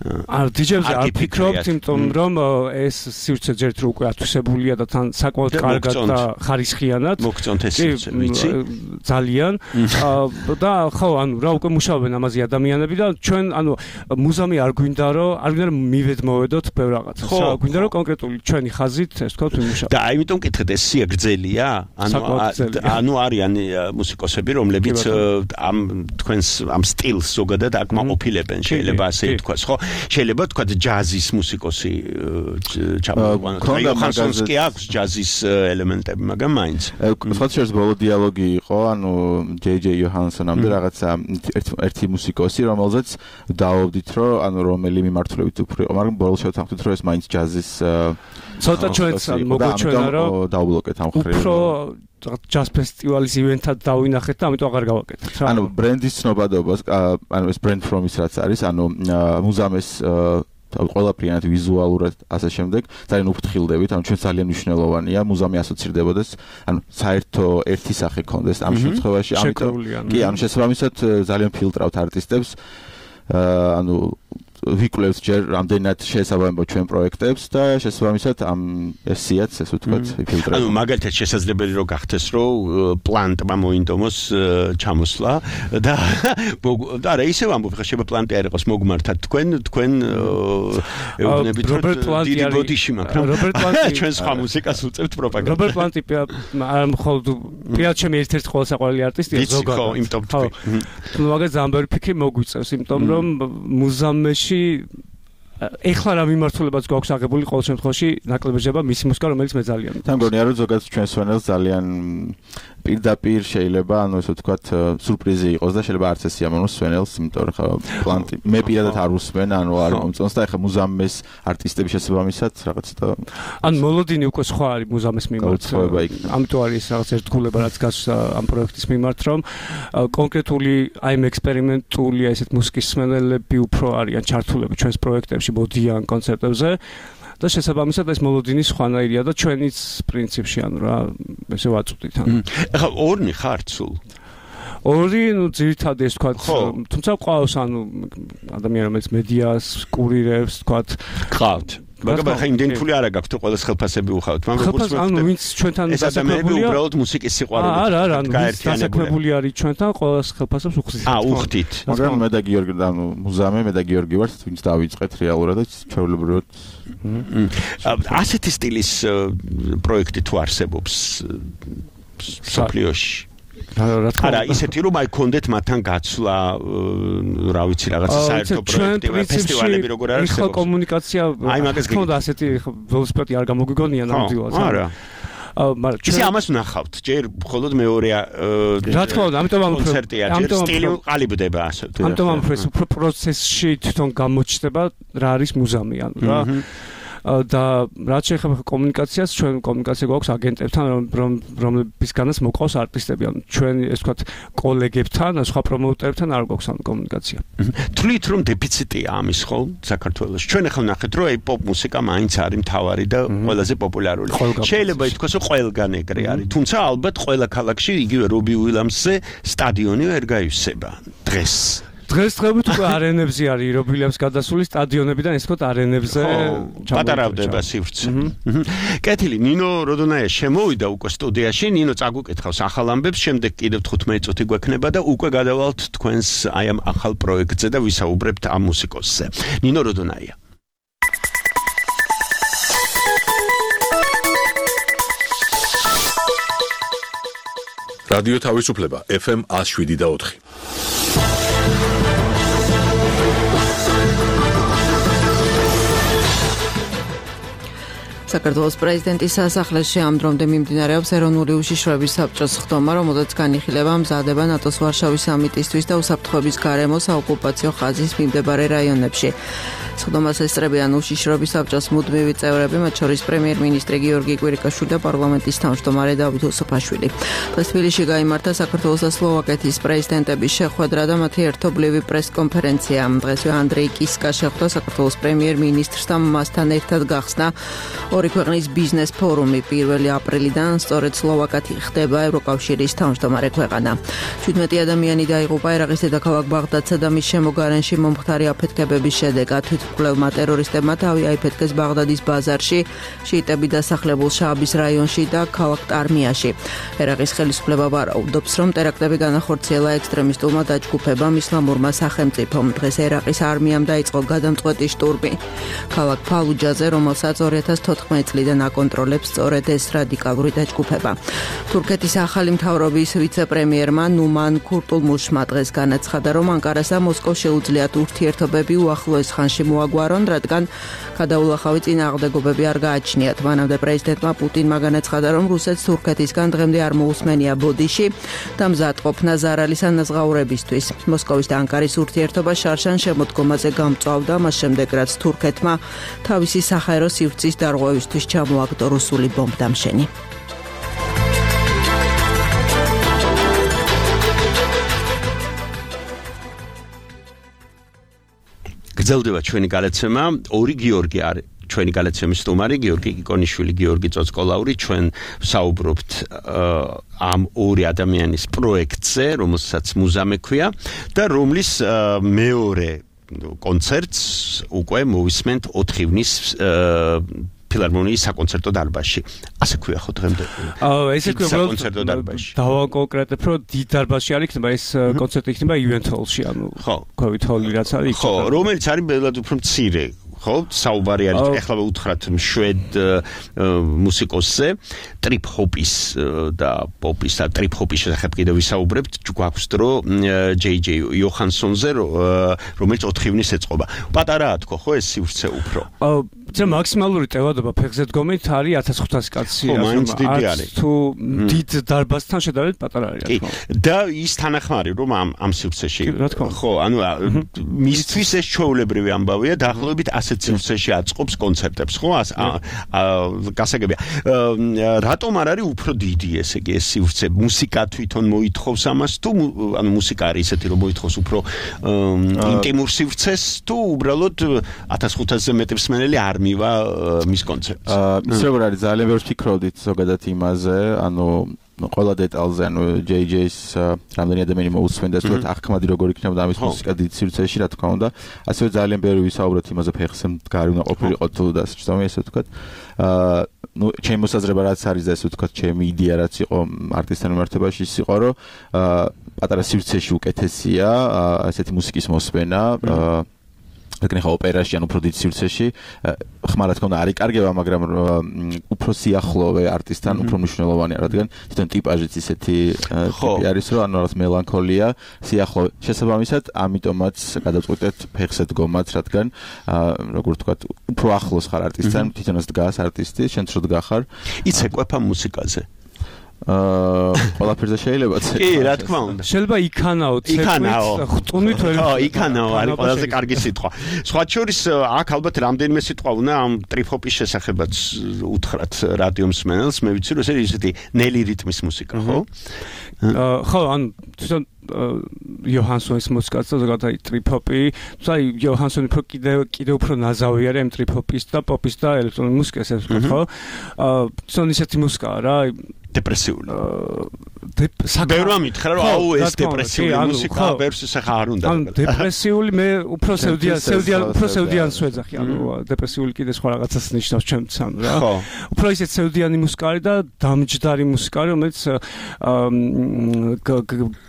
დიჯეებზე არ ფიქრობთ, იმიტომ რომ ეს სივრცე ჯერ თუ უკვე ათვისებულია და თან საკმაოდ კარგად და ხარისხიანად. მოგწონთ ეს სივრცე, ვიცი? ძალიან. და ხო, ანუ რა უკვე მუშაობენ ამაზე ადამიანები და ჩვენ ანუ მუზამი არ გვინდა რომ მივედმოვედოთ ბევრ რაღაცას. გვინდა რომ კონკრეტული ჩვენი ხაზით ეს თქვა ვიმუშაოთ. და აიმიტომ კითხეთ ეს სია გრძელია? ანუ არიან მუსიკოსები, რომლებიც ამ თქვენს ამ სტილს ზოგადად აკმაყოფილებენ, შეიძლება ასე ითქვას, ხო? შეიძლება თქვა ჯაზის მუსიკოსი ჩამოვიყვანოთ. ხანსონს კი აქვს ჯაზის ელემენტები, მაგრამ მაინც. სხვა შეიძლება ბოლო დიალოგი იყო, ანუ ჯეი იოჰანსონამდე რაღაცა ერთი მუსიკოსი, რომელზეც დააობდით, რომ ანუ რომელი მიმართულებით უფრო იყო, მაგრამ ბოლოს შევთანხმდით, რომ ეს მაინც ჯაზის ცოტა ჩვენც მოგვეჩვენა, რომ დაუბლოკეთ ამ ხრივ. უფრო ჯაზ ფესტივალის ივენთად დავინახეთ და ამიტომ აღარ გავაკეთეთ. ანუ ბრენდის ცნობადობას, ანუ ეს ბრენდ ფრომის რაც არის, ანუ მუზამეს ყველაფრიანად ვიზუალურად ასე შემდეგ ძალიან უფრთხილდებით, ანუ ჩვენ ძალიან მნიშვნელოვანია მუზამი ასოცირდებოდეს, ანუ საერთო ერთი სახე ქონდეს ამ შემთხვევაში, ამიტომ კი, ანუ შესაბამისად ძალიან ფილტრავთ არტისტებს, ანუ ვიკვლევთ ჯერ რამდენად შესაბამებო ჩვენ პროექტებს და შესაბამისად ამ ესიაც ესე ვთქვათ ფილტრებს. ანუ მაგალითად შესაძლებელი რომ გახდეს რომ პლანტმა მოინდომოს ჩამოსვლა და არა ისევ ამბობ ხა შეიძლება პლანტი არ იყოს მოგმართად თქვენ ეუბნებით რომ დიდი ბოდიში მაგრამ რობერტ პლანტი ჩვენ სხვა მუსიკას უწევთ პროპაგანდას. რობერტ პლანტი არ მხოლოდ პირად ჩემი ერთ-ერთი ყოველსაყვარელი არტისტია ზოგადად. ხო, იმიტომ თქვი. ნუ მაგას ძალიან ფიქრი მოგვიწევს, იმიტომ რომ მუზამეში ეხლა რა მიმართულებაც გვაქვს აღებული ყოველ შემთხვევაში ნაკლებიება მისი მუსიკა რომელიც მე ძალიან თან გონია რომ ზოგადად ჩვენ სვენელს ძალიან პირდაპირ შეიძლება ანუ ესე ვთქვათ სურპრიზი იყოს და შეიძლება არც ეს იამონოს სვენელს იმიტომ რომ ხა პლანტი მე პირადად არ უსმენ ანუ არ მომწონს და ეხლა მუზამეს არტისტების შესაბამისად რაღაც და ან მოლოდინი უკვე სხვა არის მუზამეს მიმართ ამიტომ არის რაღაც ერთგულება რაც გასვლა ამ პროექტის მიმართ რომ კონკრეტული აი ამ ექსპერიმენტული ესეთ მუსიკის მსმენელები უფრო არიან ჩართულები ჩვენს პროექტებში მოდიან კონცერტებზე და შესაბამისად ეს მოლოდინი სხვანაირია და ჩვენიც პრინციპში ანუ რა ესე ვაწვდით ანუ ეხლა ორნი ხართ სულ ორი ნუ ძირითადად ეს თქვა თუმცა ყავს ანუ ადამიანი რომელიც მედიას კურირებს თქვა ყავთ მაგრამ ხა იმდენი ფული არ აქვს თუ ყველა ხელფასები უხავთ მაგრამ როგორც ანუ ვინც ჩვენთან დასაქმებულია უბრალოდ მუსიკის სიყვარული არა ანუ დასაქმებული არის ჩვენთან ყველა ხელფასებს უხდით უხდით მაგრამ მე და გიორგი ანუ მუზამე მე და გიორგი ვართ ვინც დავიწყეთ რეალურად და ჩვეულებრივად ასეთი სტილის პროექტი თუ არსებობს სოფლიოში არა ისეთი რომ აი კონდეთ მათთან გაცვლა რა ვიცი რაღაცა საერთო პროექტი ფესტივალები როგორ არის ხო კომუნიკაცია აი მაგას გქონდა ასეთი ველოსიპედი არ გამოგვიგონია ნამდვილად არა მაგრამ ისე ამას ვნახავთ ჯერ მხოლოდ მეორეა რა თქმა უნდა ამიტომ ამ კონცერტია ჯერ სტილი ყალიბდება ასე თუ ამიტომ ამ პროცესში თვითონ გამოჩნდება რა არის მუზამი ანუ რა და რაც შეეხება კომუნიკაციას ჩვენ კომუნიკაცია გვაქვს აგენტებთან რომლებისგანაც მოყავს არტისტები ანუ ჩვენ ეს ვთქვათ კოლეგებთან სხვა პრომოუტერებთან არ გვაქვს ამ კომუნიკაცია თვლით რომ დეფიციტია ამის ხო საქართველოს ჩვენ ახლა ნახეთ რომ აი პოპ მუსიკა მაინც არის მთავარი და ყველაზე პოპულარული შეიძლება ითქვას რომ ყველგან ეგრე არის თუმცა ალბათ ყველა ქალაქში იგივე რობი უილამსზე სტადიონი ვერ გაივსება დღესდღეობით უკვე არენებზე არის რობილებს გადასული სტადიონებიდან ეს ვთქვათ არენებზე პატარავდება სივრცე. კეთილი ნინო როდონაია შემოვიდა უკვე სტუდიაში ნინო წაგუკითხავს ახალ ამბებს შემდეგ კიდევ 15 წუთი გვექნება და უკვე გადავალთ თქვენს აი ამ ახალ პროექტზე და ვისაუბრებთ ამ მუსიკოსზე. ნინო როდონაია რადიო თავისუფლება FM 107.4 საქართველოს პრეზიდენტის სასახლეში ამ დრომდე მიმდინარეობს ეროვნული უშიშროების საბჭოს ხდომა, რომელზეც განიხილება მზადება ნატოს ვარშავის სამიტისთვის და უსაფრთხოების გარემო საოკუპაციო ხაზის მიმდებარე რაიონებში. ხდომას ესწრებიან უშიშროების საბჭოს მუდმივი წევრები, მათ შორის პრემიერ-მინისტრი გიორგი კვირიკაშვილი და პარლამენტის თავმჯდომარე დავით უსუფაშვილი. დღეს თბილისში გაიმართა საქართველოს და სლოვაკეთის პრეზიდენტების შეხვედრა და მათი ერთობლივი პრესკონფერენცია. დღესვე ანდრეი კისკა შეხვდა საქართველოს პრემიერ-მინისტრს და მასთან ერთად გახსნა ორი ქვეყნის ბიზნეს ფორუმი 1 აპრილიდან სწორედ სლოვაკეთი ხდება ევროკავშირის თავმჯდომარე ქვეყანა. 17 ადამიანი დაიღუპა ერაყის დედაქალაქ ბაღდადსა და მის შემოგარენში მომხდარი აფეთქებების შედეგად. თვითმკვლელმა ტერორისტებმა თავი აიფეთქეს ბაღდადის ბაზარში, შიიტები დასახლებულ შააბის რაიონში და ქალაქ ტარმიაში. ერაყის ხელისუფლება ვარაუდობს, რომ ტერაქტები განახორციელა ექსტრემისტულმა დაჯგუფებამ ისლამურმა სახელმწიფომ. დღეს ერაყის არმიამ დაიწყო გადამწყვეტი შტურმი ქალაქ ფალუჯაზე, რომელსაც 2014 წლიდან აკონტროლებს სწორედ ეს რადიკალური დაჯგუფება. თურქეთის ახალი მთავრობის ვიცე-პრემიერმა ნუმან ქურტულმუშმა დღეს განაცხადა, რომ ანკარას და მოსკოვს შეუძლიათ ურთიერთობები უახლოეს ხანში მოაგვარონ, რადგან გადაულახავი წინააღმდეგობები არ გააჩნიათ. მანამდე პრეზიდენტმა პუტინმა განაცხადა, რომ რუსეთს თურქეთისგან დღემდე არ მოусმენია ბოდიში და მზადყოფნა ზარალის ანაზღაურებისთვის. მოსკოვის და ანკარის ურთიერთობა შარშან შემოდგომაზე გამწვავდა, მას შემდეგ რაც თურქეთმა თავისი საჰაერო სივრცის დარღვევისთვის ჩამოაგდო რუსული ბომბდამშენი. გრძელდება ჩვენი გადაცემა. ორი გიორგი არის ჩვენი გადაცემის სტუმარი, გიორგი კიკონიშვილი, გიორგი წოწკოლაური. ჩვენ საუბრობთ ამ ორი ადამიანის პროექტზე, რომელსაც მუზამე ქვია და რომლის მეორე კონცერტს უკვე მოვისმენთ 4 ივნის ფილარმონიის საკონცერტო დარბაზში. ასე ქვია ხო დღემდე? ესე ქვია საკონცერტო დარბაზში. დავაკონკრეტებ, რომ დიდ დარბაზში არ იქნება, ეს კონცერტი იქნება event hall-ში, ანუ COVID hall-ი რაც არის. ხო, რომელიც არის ბედად უფრო მცირე. ხო, საუბარი არის ეხლა უთხრათ შვედ მუსიკოსზე, ტრიპ ჰოპის და პოპის და ტრიპ ჰოპის შესახებ კიდევ ვისაუბრებთ. გვაქვს დრო JJ იოჰანსონზე, რომელიც 4 ივნის ეწყობა. პატარაა თქო, ხო ეს სივრცე უფრო? це მაქსიმალური ტევადობა ფეხზე დგომით არის 1500 კაცი. ხო, მაინც დიდი არის. თუ დიდ დარბაზთან შედარებით პატარა არის, რა თქმა უნდა. და ის თანახმარი რომ ამ სივრცეში. ხო, ანუ მისთვის ეს ჩვეულებრივი ამბავია, დაახლოებით ასეთ სივრცეში აწყობს კონცერტებს, ხო? გასაგებია. რატომ არ არის უფრო დიდი ესე იგი ეს სივრცე? მუსიკა თვითონ მოითხოვს ამას თუ ანუ მუსიკა არის ისეთი რომ მოითხოვს უფრო ინტიმურ სივრცეს თუ უბრალოდ 1500-ზე მეტი მსმენელი არ მივა მის კონცერტს. ის როგორ არის ძალიან ბევრს ფიქრობდით ზოგადად იმაზე, ანუ ყველა დეტალზე, ანუ JJ-ს რამდენი ადამიანი მოусმენდა, ეს თქო ახკმადი როგორ იქნებოდა ამის მუსიკა დიდ სივრცეში, რა თქმა უნდა. ასევე ძალიან ბევრი ვისაუბროთ იმაზე, ფეხზე მდგარი უნდა ყოფილიყო თუ და სწორედ ესე ვთქვათ. ну, ჩემი მოსაზრება რაც არის და ესე ვთქვათ, ჩემი იდეა რაც იყო არტისტთან მიმართებაში ის იყო, რომ პატარა სივრცეში უკეთესია ესეთი მუსიკის მოსმენა, რადგან ხა ოპერაში ან უფრო დიდ სივრცეში ხმარა თქმა უნდა არის კარგება, მაგრამ უფრო სიახლოვე არტისტთან უფრო მნიშვნელოვანია, რადგან თვითონ ტიპაჟიც ისეთი ტიპი არის, რომ ანუ რაღაც მელანქოლია, სიახლოვე. შესაბამისად, ამიტომაც გადავწყვეტეთ ფეხზე დგომაც, რადგან როგორ ვთქვათ, უფრო ახლოს ხარ არტისტთან, თვითონაც დგას არტისტი, შენ რო დგახარ. იცე ყვეფა მუსიკაზე. ყველაფერზე შეიძლება წე. კი, რა თქმა უნდა. შეიძლება იქანაო, ხტუნით ვერ. ხო, იქანაო არის ყველაზე კარგი სიტყვა. სხვა შორის აქ ალბათ რამდენიმე სიტყვა უნდა ამ ტრიპ-ჰოპის შესახებაც უთხრათ რადიო მსმენელს. მე ვიცი რომ ეს ისეთი ნელი რიტმის მუსიკა, ხო? ხო, ანუ თვითონ იოჰანსონის მუსიკაც და ზოგადად ტრიპ-ჰოპი, თუმცა იოჰანსონი კიდევ უფრო ნაზავი არის ამ ტრიპ-ჰოპის და პოპის და ელექტრონული მუსიკის, ასე ვთქვათ, ხო? თვითონ ისეთი მუსიკაა რა, დეპრესიული. ბევრმა მითხრა რომ აუ ეს დეპრესიული მუსიკა ბევრს ახლა არ უნდა. ანუ დეპრესიული მე უფრო სევდიანს ვეძახი, ანუ დეპრესიული კიდე სხვა რაღაცას ნიშნავს ჩემთვის, ანუ რა. უფრო ისეთ სევდიანი მუსიკა არის და დამჯდარი მუსიკა, რომელიც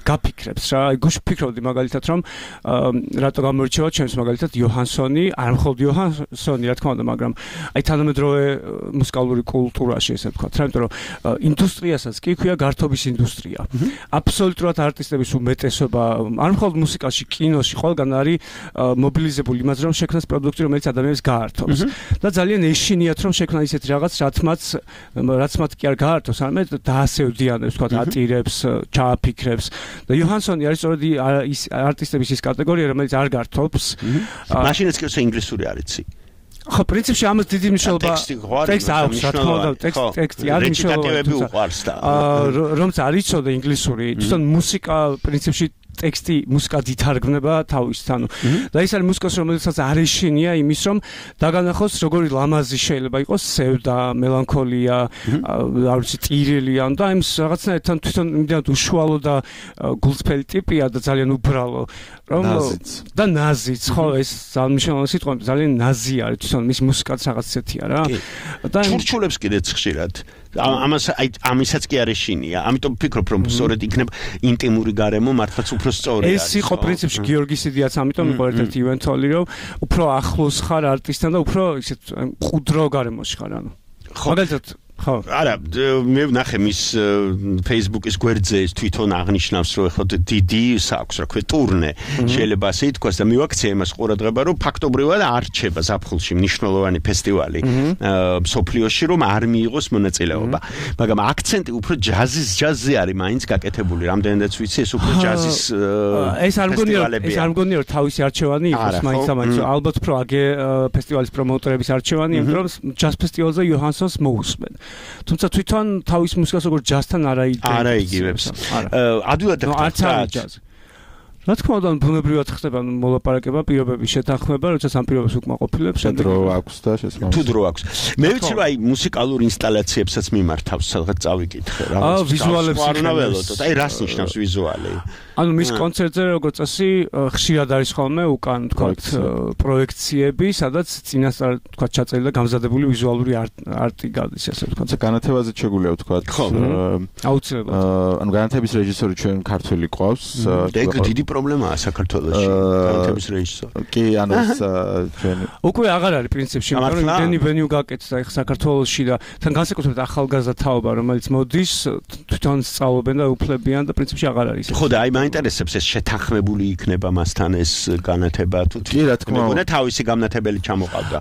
გაფიქრებს რა. აი გუშინ ვფიქრობდი მაგალითად რომ რატო გამორჩევა ჩემს მაგალითად იოჰანსონი, არ მხოლოდ იოჰანსონი, რა თქმა უნდა, მაგრამ აი თანამედროვე მუსიკალური კულტურაში ესე ვთქვათ, რა, იმიტომ რომ ინდუსტრიასაც კი ქვია გართობის ინდუსტრია. აბსოლუტურად არტისტების უმეტესობა, არ მხოლოდ მუსიკაში, კინოში, ყველგან არის მობილიზებული იმაზე, რომ შექმნას პროდუქტი, რომელიც ადამიანებს გაართობს. და ძალიან ეშინიათ, რომ შექმნა ისეთი რაღაც, რაც მათ კი არ გაართობს, არამედ დაასევდიანებს, ვთქვათ, ატირებს, ჩააფიქრებს. და იოჰანსონი არის სწორედ ის არტისტების ის კატეგორია, რომელიც არ გართობს. მაშინაც კი ინგლისური არ იცი. ხო, პრინციპში ამას დიდი მნიშვნელობა ტექსტი აქვს, რა თქმა უნდა, ტექსტი არის მნიშვნელოვანი, უყვარს და რომც არ იცოდა ინგლისური, თვითონ მუსიკა პრინციპში ტექსტი მუსიკად ითარგმნება თავისით, ანუ და ეს არის მუსიკას, რომელსაც არ ეშინია იმის, რომ დაგანახოს როგორი ლამაზი შეიძლება იყოს სევდა, მელანქოლია, არ ვიცი, ტირილი, ანუ და იმის რაღაცნაირად თვითონ იმდენად უშუალო და გულწრფელი ტიპია და ძალიან უბრალო, რომ და ნაზიც, ხო, ეს ძალმშრომელი სიტყვა ძალიან ნაზი არის თვითონ მის მუსიკაც რაღაც ისეთია რა. და ჩურჩულებს კიდეც ხშირად. ამისაც კი არ ეშინია. ამიტომ ვფიქრობ, რომ სწორედ იქნება ინტიმური გარემო მართლაც უფრო სწორი არის. ეს იყო პრინციპში გიორგის იდეაც, ამიტომ იყო ერთ-ერთი ივენთოლი, რომ უფრო ახლოს ხარ არტისტთან და უფრო ისეთ მყუდრო გარემოში ხარ, ანუ. მაგალითად ხო არა მე ვნახე მის Facebook-ის გვერდზე ის თვითონ აღნიშნავს რომ ეხლა დიდი საქვს რა ქვია ტურნე შეიძლება ასე ითქვას და მივაქცია იმას ყურადღება რომ ფაქტობრივად არჩება ზაფხულში მნიშვნელოვანი ფესტივალი მსოფლიოში რომ არ მიიღოს მონაწილეობა მაგრამ აქცენტი უფრო ჯაზზე არის მაინც გაკეთებული რამდენადაც ვიცი ეს უფრო ჯაზის ეს არ მგონია რომ თავისი არჩევანი იყოს მაინც ალბათ უფრო აგე ფესტივალის პრომოუტერების არჩევანი იმიტომ რომ ჯაზ ფესტივალზე იოჰანსონს მოусმენ თუმცა თვითონ თავის მუსიკას როგორც ჯაზთან არაიგივებს. ადვილად და რა თქმა უნდა ბუნებრივად ხდება მოლაპარაკება პირობების შეთანხმება როდესაც ამ პირობებს უკმაყოფილებს დრო აქვს და შესაძლოა თუ დრო აქვს მე ვიცი რომ აი მუსიკალურ ინსტალაციებსაც მიმართავს სადღაც წავიკითხე რა ვიზუალებს არნაველოდოთ აი რას ნიშნავს ვიზუალი ანუ მის კონცერტზე როგორც წესი ხშირად არის ხოლმე უკან თქვათ პროექციები სადაც წინასწარ თქვათ ჩაწერილი და გამზადებული ვიზუალური არტი გადის ასე თქვათ განათებაზე შეგვიძლია ვთქვათ აუცილებლად ანუ განათების რეჟისორი ჩვენ ქართველი ყავს დიდი პრობლემაა საქართველოში განათების რეჟისორი. კი, ანუ ეს ჩვენ უკვე აღარ არის პრინციპში, მაგრამ იმდენი ვენიუ გაკეთდა ახლა საქართველოში და თან განსაკუთრებით ახალგაზრდა თაობა, რომელიც მოდის, თვითონ სწავლობენ და უფლებიან და პრინციპში აღარ არის. ხო და აი მაინტერესებს ეს შეთანხმებული იქნება მასთან ეს განათება თუ კი, რა თქმა უნდა, თავისი განათებელი ჩამოყავდა.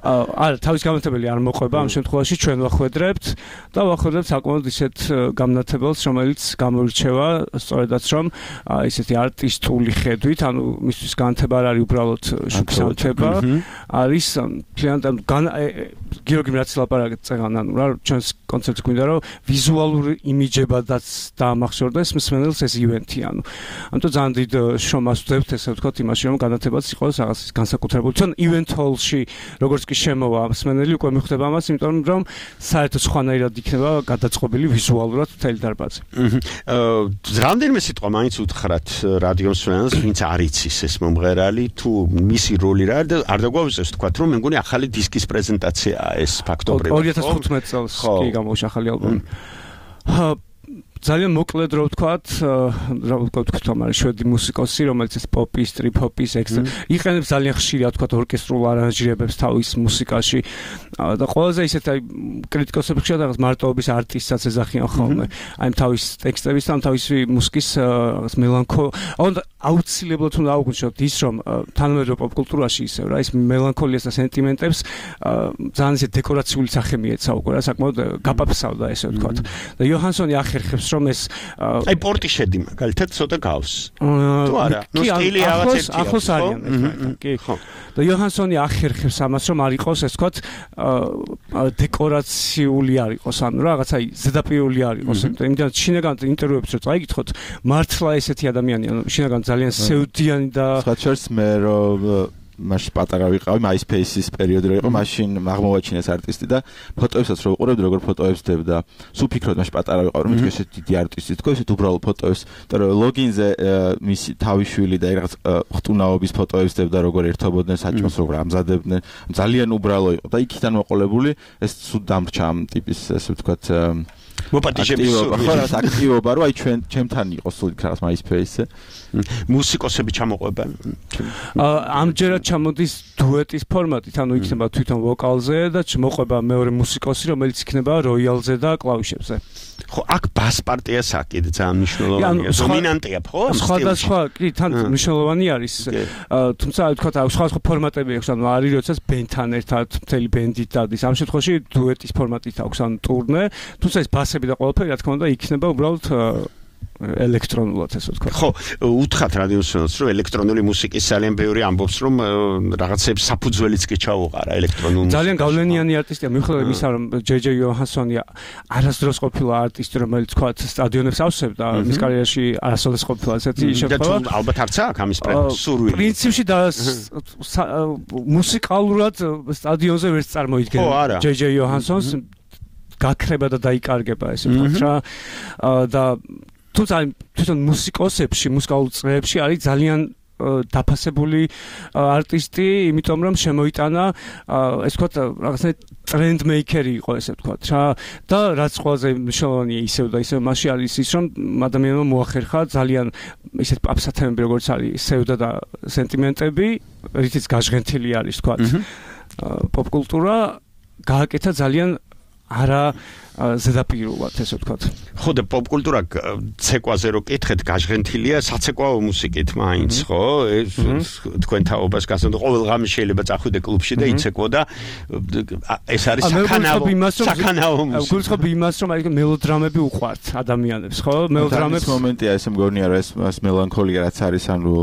არა, თავისი განათებელი არ მოყვება, ამ შემთხვევაში ჩვენ ვახვედრებთ და ვახვედრებთ საკმაოდ ისეთ განათებელს, რომელიც გამოირჩევა სწორედაც რომ ისეთი არტისტული ხედვით, ანუ მისთვის განათება არ არის უბრალოდ შუქსანთება, არის მთლიანად გიორგი რაც ლაპარაკեցან, ანუ რა ჩვენს კონცერტს გვინდა რომ ვიზუალური იმიჯებადაც დაამახსოვრდეს მსმენელს ეს ივენთი, ანუ ამიტომ ძალიან დიდ შრომას ვძებთ ესე ვთქვათ იმაში რომ განათებაც იყოს რაღაც განსაკუთრებული. თვითონ ივენთ ჰოლში როგორც კი შემოვა მსმენელი უკვე მიხვდება ამას, იმიტომ რომ საერთოდ სხვანაირად იქნება გადაწყობილი ვიზუალურად მთელი დარბაზი. რამდენიმე სიტყვა მაინც უთხრათ რადიოს მსმენელს, ვინც არ იცის ეს მომღერალი, თუ მისი როლი რა და არ დაგვაუწევს თქვათ რომ მე მგონი ახალი დისკის პრეზენტაციაა ეს ფაქტობრივად 2015 წელს კი გამოვიდა ახალი ალბომი. ძალიან მოკლედ რო ვთქვათ, რა ვთქვათ, ამარი შვედი მუსიკოსი, რომელიც ეს პოპის, ტრიპ-ჰოპის იყენებს ძალიან ხშირად ვთქვათ ორკესტრულ არანჟირებებს თავის მუსიკაში და ყველაზე ისეთ აი კრიტიკოსები ხშირად რაღაც მარტოობის არტისტსაც ეძახიან ხოლმე. აი თავის ტექსტების და თავისი მუსიკის რაღაც მელანქოლია, აუცილებლად უნდა აუგნიშნოთ ის, რომ თანამედროვე პოპკულტურაში ისევ რა ის მელანქოლიას და სენტიმენტებს ძალიან ისე დეკორაციული სახე მიეცა უკვე რა საკმაოდ გაპაფსავდა ესე ვთქვათ. და იოჰანსონი ახერხებს რომ ეს აი პორტიშედი მაგალითად ცოტა გავს. თუ არა, ნუ სტილი რაღაც ერთია. ახლოს არიან ეს კი. და იოჰანსონი ახერხებს ამას რომ არ იყოს ეს ვთქვათ დეკორაციული არ იყოს, ანუ რაღაც აი ზედაპირული არ იყოს. იმიტომ შინაგან ინტერვიუებს რო წაიკითხოთ, მართლა ესეთი ადამიანი, ანუ შინაგან ძალიან სევდიანი და სხვაჩერს მე რომ მაშინ პატარა ვიყავი MySpace-ის პერიოდი რო იყო, მაშინ აღმოვაჩინეს არტისტი და ფოტოებსაც რო ვიყურებდი, როგორ ფოტოებს დებდა. სულ ფიქრობ მაშინ პატარა ვიყავი, რომ ეს დიდი არტისტი თქო, ესეთ უბრალო ფოტოებს, და რომ ლოგინზე მისი თავიშვილი და რაღაც ხტუნაობის ფოტოებს დებდა, როგორ ერთობოდნენ საჭმელს, როგორ ამზადებდნენ. ძალიან უბრალო იყო და იქიდან მოყოლებული ეს სულ დამრჩა ამ ტიპის ესე ვთქვათ მოპატიჟების აქტივობა, რომ აი ჩემთან იყოს სულ იქ რაღაც MySpace-ზე. მუსიკოსები ჩამოყვება. ამჯერად ჩამოდის დუეტის ფორმატით, ანუ იქნება თვითონ ვოკალზე და მოყვება მეორე მუსიკოსი, რომელიც იქნება როიალზე და კლავიშებზე. ხო, აქ ბას პარტიას აქ ძალიან მნიშვნელოვანია. დომინანტია, ხო? სხვადასხვა, კი, თან მნიშვნელოვანი არის. თუმცა ვთქვათ, სხვადასხვა ფორმატები აქვს, ანუ არის როდესაც ბენდთან ერთად მთელი ბენდით დადის. ამ შემთხვევაში დუეტის ფორმატით აქვს, ანუ ტურნე, თუმცა ეს ბასები და ყველაფერი, რა თქმა უნდა, იქნება უბრალოდ ელექტრონულად ესე ვთქვა. ხო, უთხრათ რადიოსმენელს, რომ ელექტრონული მუსიკის ძალიან ბევრი ამბობს, რომ რაღაცებს საფუძველიც კი ჩაუყარა ელექტრონულ მუსიკას. ძალიან გავლენიანი არტისტია, მიუხედავად იმისა, რომ ჯეჯე იოჰანსონი არასდროს ყოფილა არტისტი, რომელიც თქვა სტადიონებს ავსებდა, მის კარიერაში არასოდეს ყოფილა ესეთი შემთხვევა. ალბათ არც აქვს ამის სურვილი. პრინციპში და მუსიკალურად სტადიონზე ვერც წარმოიდგენია ჯეჯე იოჰანსონს გაქრება და დაიკარგება ესე ვთქვათ რა და თვითონ მუსიკოსებში, მუსიკალურ წრეებში არის ძალიან დაფასებული არტისტი, იმიტომ რომ შემოიტანა ესე ვთქვათ რაღაცა ტრენდ მეიკერი იყო ესე ვთქვათ რა და რაც ყველაზე მნიშვნელოვანია ისევ და ისევ მასში არის ის რომ ადამიანმა მოახერხა ძალიან ისეთ პაპსათემები როგორც არის სევდა და სენტიმენტები, რითიც გაჟღენთილი არის ვთქვათ პოპკულტურა გააკეთა ძალიან არა ზედაპირულად ესე ვთქვათ. ხო და პოპკულტურა ცეკვაზე რო კითხეთ, გაჟღენთილია საცეკვაო მუსიკით მაინც, ხო? ეს თქვენ თაობას გასცემთ, ყოველ ღამე შეიძლება წახვიდე კლუბში და იცეკვო და ეს არის საკანაო მუსიკა. გულწრფობ იმას, რომ აი მელოდრამები უყვართ ადამიანებს, ხო? მელოდრამების მომენტია ესე მგონია რა ეს მელანქოლია რაც არის, ანუ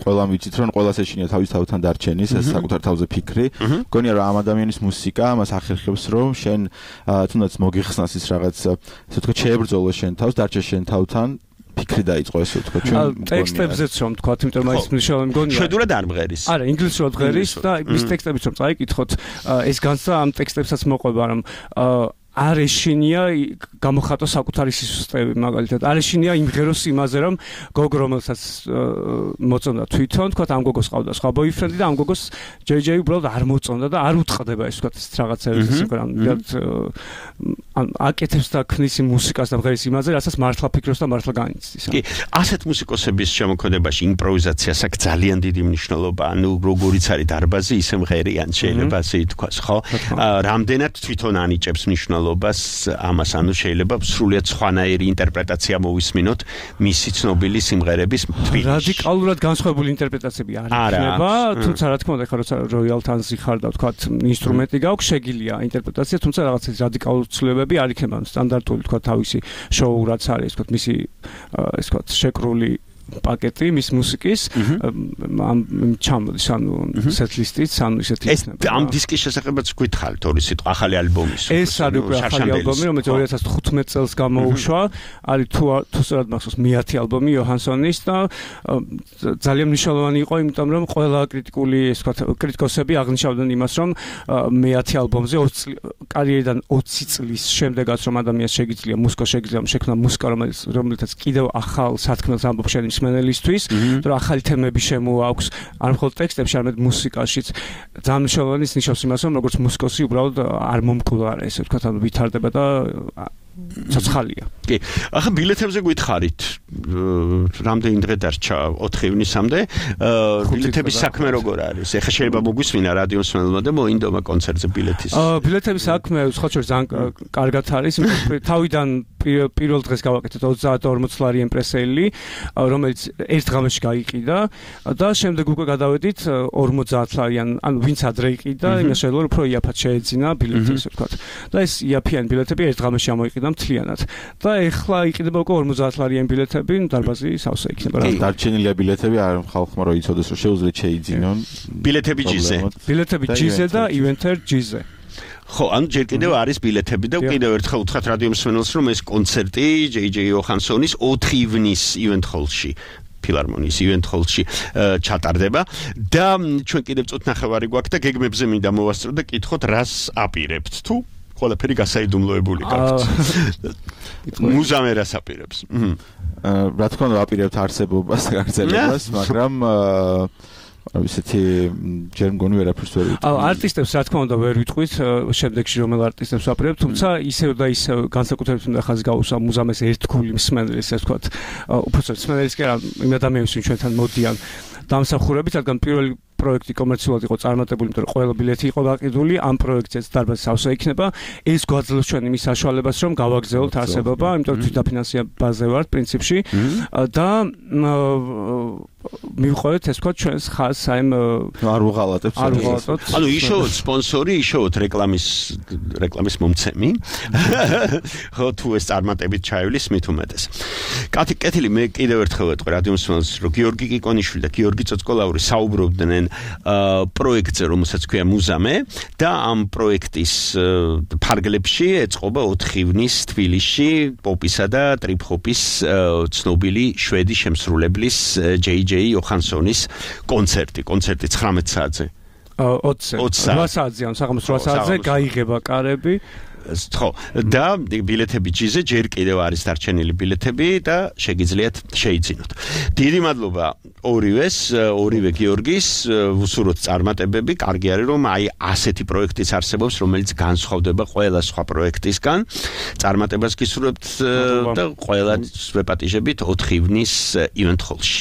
ყველა ვიცით რომ ყველას ეშინია თავის თავთან დარჩენის, ეს საკუთარ თავზე ფიქრი. მგონია რომ ამ ადამიანის მუსიკა მას ახერხებს რომ შენ თუნდაც მოგიხსნას ის რაღაც ესე ვთქვათ შეებრძოლო შენ თავს, დარჩე შენ თავთან, ფიქრი დაიწყო ესე ვთქვათ. ჩვენ ტექსტებზეც რომ თქვათ, იმიტომ რომ ის მნიშვნელოვანი მგონია. შვედურად არ მღერის. არა, ინგლისურად ღერის და მის ტექსტებიც რომ წაიკითხოთ, ეს განსა ამ ტექსტებსაც მოყვება, რომ არ ეშინია გამოხატო საკუთარი სისუსტეები მაგალითად. არ ეშინია იმღეროს იმაზე რომ გოგ რომელსაც მოწონდა თვითონ, თქვათ ამ გოგოს ყავდა სხვა ბოიფრენდი და ამ გოგოს ჯეჯეი უბრალოდ არ მოწონდა და არ უთყდება ეს თქვათ ეს რაღაცები ან აკეთებს და ქნის მუსიკას და მღერის იმაზე, რასაც მართლა ფიქრობს და მართლა განიცდის. კი, ასეთ მუსიკოსების შემოქმედებაში იმპროვიზაციას აქვს ძალიან დიდი მნიშვნელობა. ანუ როგორიც არის დარბაზი, ისე მღერიან შეიძლება ასე ითქვას, ხო? რამდენად თვითონ ანიჭებს მნიშვნელობას ამას, ანუ შეიძლება სრულიად სხვანაირი ინტერპრეტაცია მოვისმინოთ მისი ცნობილი სიმღერების თბილისში. რადიკალურად განსხვავებული ინტერპრეტაციები არ იქნება, თუმცა რა თქმა უნდა, ხა როცა როიალ თანზი ხარ და თქვათ ინსტრუმენტი გაქვს, შეგიძლია ინტერპრეტაცია, თუმცა რაღაცა რადიკალური ცვლილებები არ იქნება, სტანდარტული თქვათ თავისი შოუ რაც არის, თქვათ მისი ეს თქვათ შეკრული პაკეტი მის მუსიკის ამ ჩამოდის ანუ სეტლისტიც ანუ ისეთი იქნება. ამ დისკის შესახებაც გითხარით ორი სიტყვა ახალი ალბომის. ეს არის უკვე ახალი ალბომი, რომელიც 2015 წელს გამოუშვა, არის თუ სწორად მახსოვს მე-10 ალბომი იოჰანსონის და ძალიან მნიშვნელოვანი იყო, იმიტომ რომ ყველა კრიტიკული ეს ვთქვათ კრიტიკოსები აღნიშნავდნენ იმას, რომ მე-10 ალბომზე კარიერიდან 20 წლის შემდეგაც რომ ადამიანს შეგიძლია მუსიკა შეგიძლია შექმნა მუსიკა, რომელიცაც კიდევ ახალ სათქმელს ამბობს შენ მსმენელისთვის, რომ ახალი თემები შემოაქვს, არ მხოლოდ ტექსტებში, არამედ მუსიკაშიც. ძალიან მნიშვნელოვანი ნიშნავს იმას, რომ როგორც მუსიკოსი უბრალოდ არ მომკვდარა, ესე ვთქვათ, ანუ ვითარდება და ცოცხალია. კი. ახლა ბილეთებზე გითხარით, რამდენი დღე დარჩა 4 ივნისამდე, ბილეთების საქმე როგორ არის? ეხლა შეიძლება მოგვისმინა რადიოსმენელმა და მოინდომა კონცერტზე ბილეთის. ბილეთების საქმე სხვა შორის ძალიან კარგად არის, თავიდან პირველ დღეს გავაკეთეთ 30-40 ლარი იმპრესელი, რომელიც ერთ ღამეში გაიყიდა და შემდეგ უკვე გადავედით 50 ლარიან, ანუ ვინც ადრე იყიდა, იმას შეიძლება უფრო იაფად შეეძინა ბილეთი, ესე ვთქვათ. და ეს იაფიანი ბილეთები ერთ ღამეში ამოიყიდა მთლიანად. და ეხლა იყიდება უკვე 50 ლარიან ბილეთები, დარბაზი სავსე იქნება. დარჩენილია ბილეთები, არ ხალხმა რო იცოდეს, რომ შეუძლიათ შეიძინონ. ბილეთები ჯიზე. ბილეთები ჯიზე და ივენთერ ჯიზე. ხო, ანუ ჯერ კიდევ არის ბილეთები და კიდევ ერთხელ უთხრათ რადიომსმენელს, რომ ეს კონცერტი ჯეჯე იოჰანსონის 4 ივნის ივენთ ჰოლში ფილარმონიის ივენთ ჰოლში ჩატარდება და ჩვენ კიდევ წუთ ნახევარი გვაქვს და გეგმებზე მინდა მოვასწრო და კითხოთ რას აპირებთ თუ ყველაფერი გასაიდუმლოებული გაქვთ. მუზამე რას აპირებს? რა თქმა უნდა აპირებთ არსებობას და გაგრძელებას, მაგრამ ისეთი ჯერ მგონი ვერაფერს ვერ ვიტყვი. არტისტებს რა თქმა უნდა ვერ ვიტყვით შემდეგში რომელ არტისტებს ვაპირებთ, თუმცა ისევ და ისევ განსაკუთრებით უნდა ხაზი გავუსვა მუზამეს ერთგული მსმენელის, ასე ვთქვათ, უბრალოდ მსმენელის კი არა, იმ ადამიანებს ვინც ჩვენთან მოდიან დამსახურებით, რადგან პირველი პროექტი კომერციულად იყო წარმატებული, იმიტომ რომ ყველა ბილეთი იყო გაყიდული, ამ პროექტზეც დარბაზი სავსე იქნება. ეს გვაძლევს ჩვენ იმის საშუალებას, რომ გავაგრძელოთ არსებობა, იმიტომ რომ თვითდაფინანსებაზე ვართ პრინციპში და მივყვებით ეს თქვა ჩვენს ხაზს აი არ უღალატებს ანუ იშოვოთ სპონსორი იშოვოთ რეკლამის მომცემი ხო თუ ეს წარმატებით ჩაივლის მით უმეტეს კეთილი მე კიდევ ერთხელ ვეთქვი რადიო მსმენელს რომ გიორგი კიკონიშვილი და გიორგი წოწკოლაური საუბრობდნენ პროექტზე რომელსაც ქვია მუზამე და ამ პროექტის ფარგლებში ეწყობა 4 ივნის თბილისში პოპისა და ტრიპ-ჰოპის ცნობილი შვედი შემსრულებლის JJ Johanssonis კონცერტი 19 საათზე 8 საათზე საღამოს 8 საათზე გაიღება კარები ხო და ბილეთები ჯიზე ჯერ კიდევ არის დარჩენილი ბილეთები და შეგიძლიათ შეიძინოთ დიდი მადლობა ორივე გიორგის ვუსურვოთ წარმატებები კარგი არის რომ აი ასეთი პროექტიც არსებობს რომელიც განსხვავდება ყველა სხვა პროექტისგან წარმატებას გისურვებთ და ყველა ვეპატიჟებით 4 ივნის ივენთ ჰოლში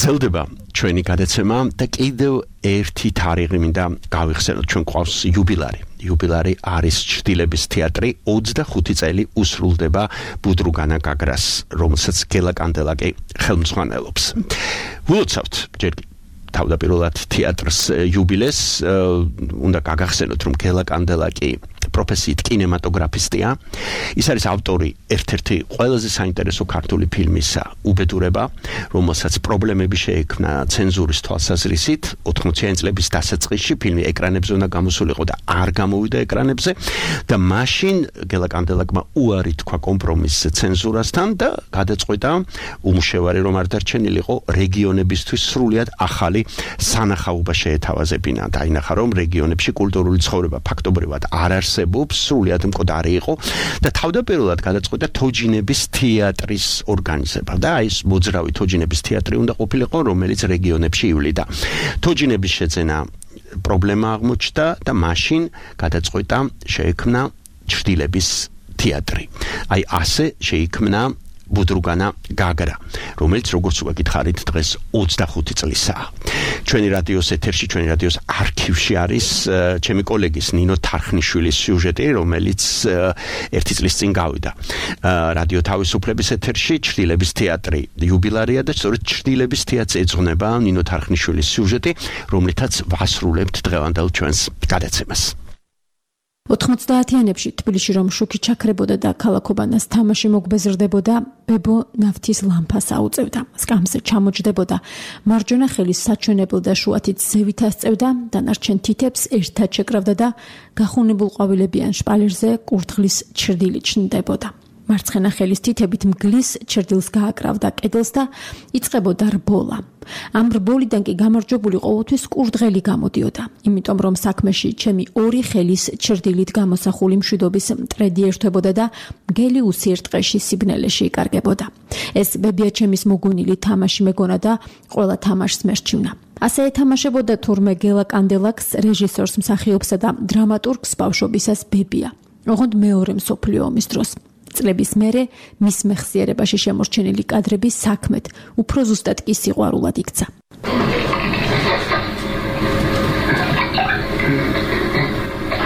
გრძელდება ჩვენი გადაცემა და კიდევ ერთი თარიღი მინდა გავიხსენოთ ჩვენ ყავს იუბილარი არის ჩრდილების თეატრი 25 წელი უსრულდება ბუდრუგანა გაგრას რომელსაც გელა კანდელაკი ხელმძღვანელობს ვილოცავთ ჯერ თავდაპირველად თეატრს იუბილეს უნდა გაგახსენოთ რომ გელა კანდელაკი პროფესიით კინემატოგრაფისტია ის არის ავტორი ერთ-ერთი ყველაზე საინტერესო ქართული ფილმისა უბედურება რომელსაც პრობლემები შეექმნა ცენზურის თვალსაზრისით 80-იანი წლების დასაწყისში ფილმი ეკრანებზე უნდა გამოსულიყო და არ გამოვიდა ეკრანებზე და მაშინ გელა კანდელაკმა უარი თქვა კომპრომისზე ცენზურასთან და გადაწყვიტა უმშევარი რომ არ დარჩენილიყო რეგიონებისთვის სრულიად ახალი სანახაობა შეეთავაზებინა და ინახა რომ რეგიონებში კულტურული ცხოვრება ფაქტობრივად არ არსებობს, სრულიად მკვდარი იყო და თავდაპირველად გადაწყვიტა თოჯინების თეატრის ორგანიზება და ეს მოძრავი თოჯინების თეატრი უნდა ყოფილიყო, რომელიც რეგიონებში ივლიდა. თოჯინების შეძენა პრობლემა აღმოჩნდა და მაშინ გადაწყვიტა შეექმნა ჩრდილების თეატრი. აი ასე შეიქმნა ბუდრუგანა გაგრა, რომელიც როგორც უკითხარით დღეს 25 წლისაა. ჩვენი რადიოს ეთერში, ჩვენი რადიოს არქივში არის ჩემი კოლეგის ნინო თარხნიშვილის სიუჟეტი, რომელიც ერთი წლის წინ გავიდა. რადიო თავისუფლების ეთერში ჩრდილების თეატრი იუბილარია და სწორედ ჩრდილების თეატრს ეძღვნება ნინო თარხნიშვილის სიუჟეტი, რომლითაც ვასრულებთ დღევანდელ ჩვენს გადაცემას. 90-იანებში თბილისში რომ შუქი ჩაქრებოდა და ქალაქობანას თამაში მოგბეზრდებოდა, ბებო ნავთის ლამპას აუწევდა, სკამზე ჩამოჯდებოდა, მარჯვენა ხელის საჩვენებელ და შუათით ზევით ასწევდა, დანარჩენ თითებს ერთად შეკრავდა და გახუნებულ ყვავილებიან შპალერზე კურდღლის ჩრდილი ჩნდებოდა. მარცხენა ხელის თითებით მგლის ჩრდილს გააკრავდა კედელს და იწყებოდა რბოლა. ამ რბოლიდან კი გამარჯვებული ყოველთვის კურდღელი გამოდიოდა, იმიტომ რომ საქმეში ჩემი ორი ხელის ჩრდილით გამოსახული მშვიდობის მტრედი ერთვებოდა და მგელი უსიერთყეში სიბნელეში იკარგებოდა. ეს ბებია ჩემის მოგონილი თამაში მეგონა და ყველა თამაშს მერჩივნა. ასე ეთამაშებოდა თურმე გელა კანდელაკს, რეჟისორს, მსახიობსა და დრამატურგს ბავშვობისას ბებია. ოღონდ მეორე მსოფლიო ომის დროს. წლების მერე მის მეხსიერებაში შემორჩენილი კადრები საქმეთ, უფრო ზუსტად კი სიყვარულად იქცა.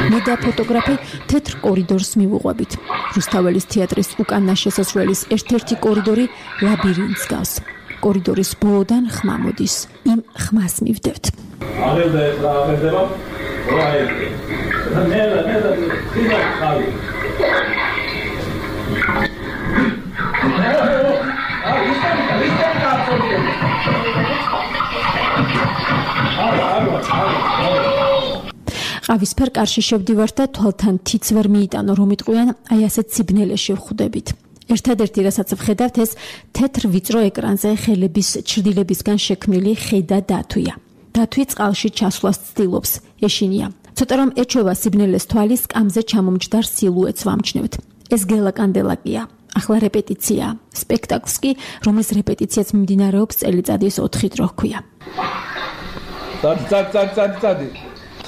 მე და ფოტოგრაფი თეთრ კორიდორს მივუყვებით. რუსთაველის თეატრის უკანა შესასვლელის ერთ-ერთი კორიდორი ლაბირინთს გავს. კორიდორის ბოლოდან ხმა მოდის. იმ ხმას მივდევთ. ყავისფერ კარში შევდივართ და თვალთან თიც ვერ მიიტანო რომ იტყვიან, აი ასეთ სიბნელეში ვხვდებით. ერთადერთი რასაც ვხედავთ ეს თეთრ ვიწრო ეკრანზე ხელების ჩრდილებისგან შექმნილი ხედა დათვია. დათვი წყალში ჩასვლას ცდილობს, ეშინია. ცოტა რომ ეჩვევა სიბნელეს თვალი, სკამზე ჩამომჯდარ სილუეტს ვამჩნევთ. ეს გელა კანდელაკია. ახლა რეპეტიცია. სპექტაკლს კი, რომლის რეპეტიციაც მიმდინარეობს წელიწადის 4 დრო ჰქვია. წადი.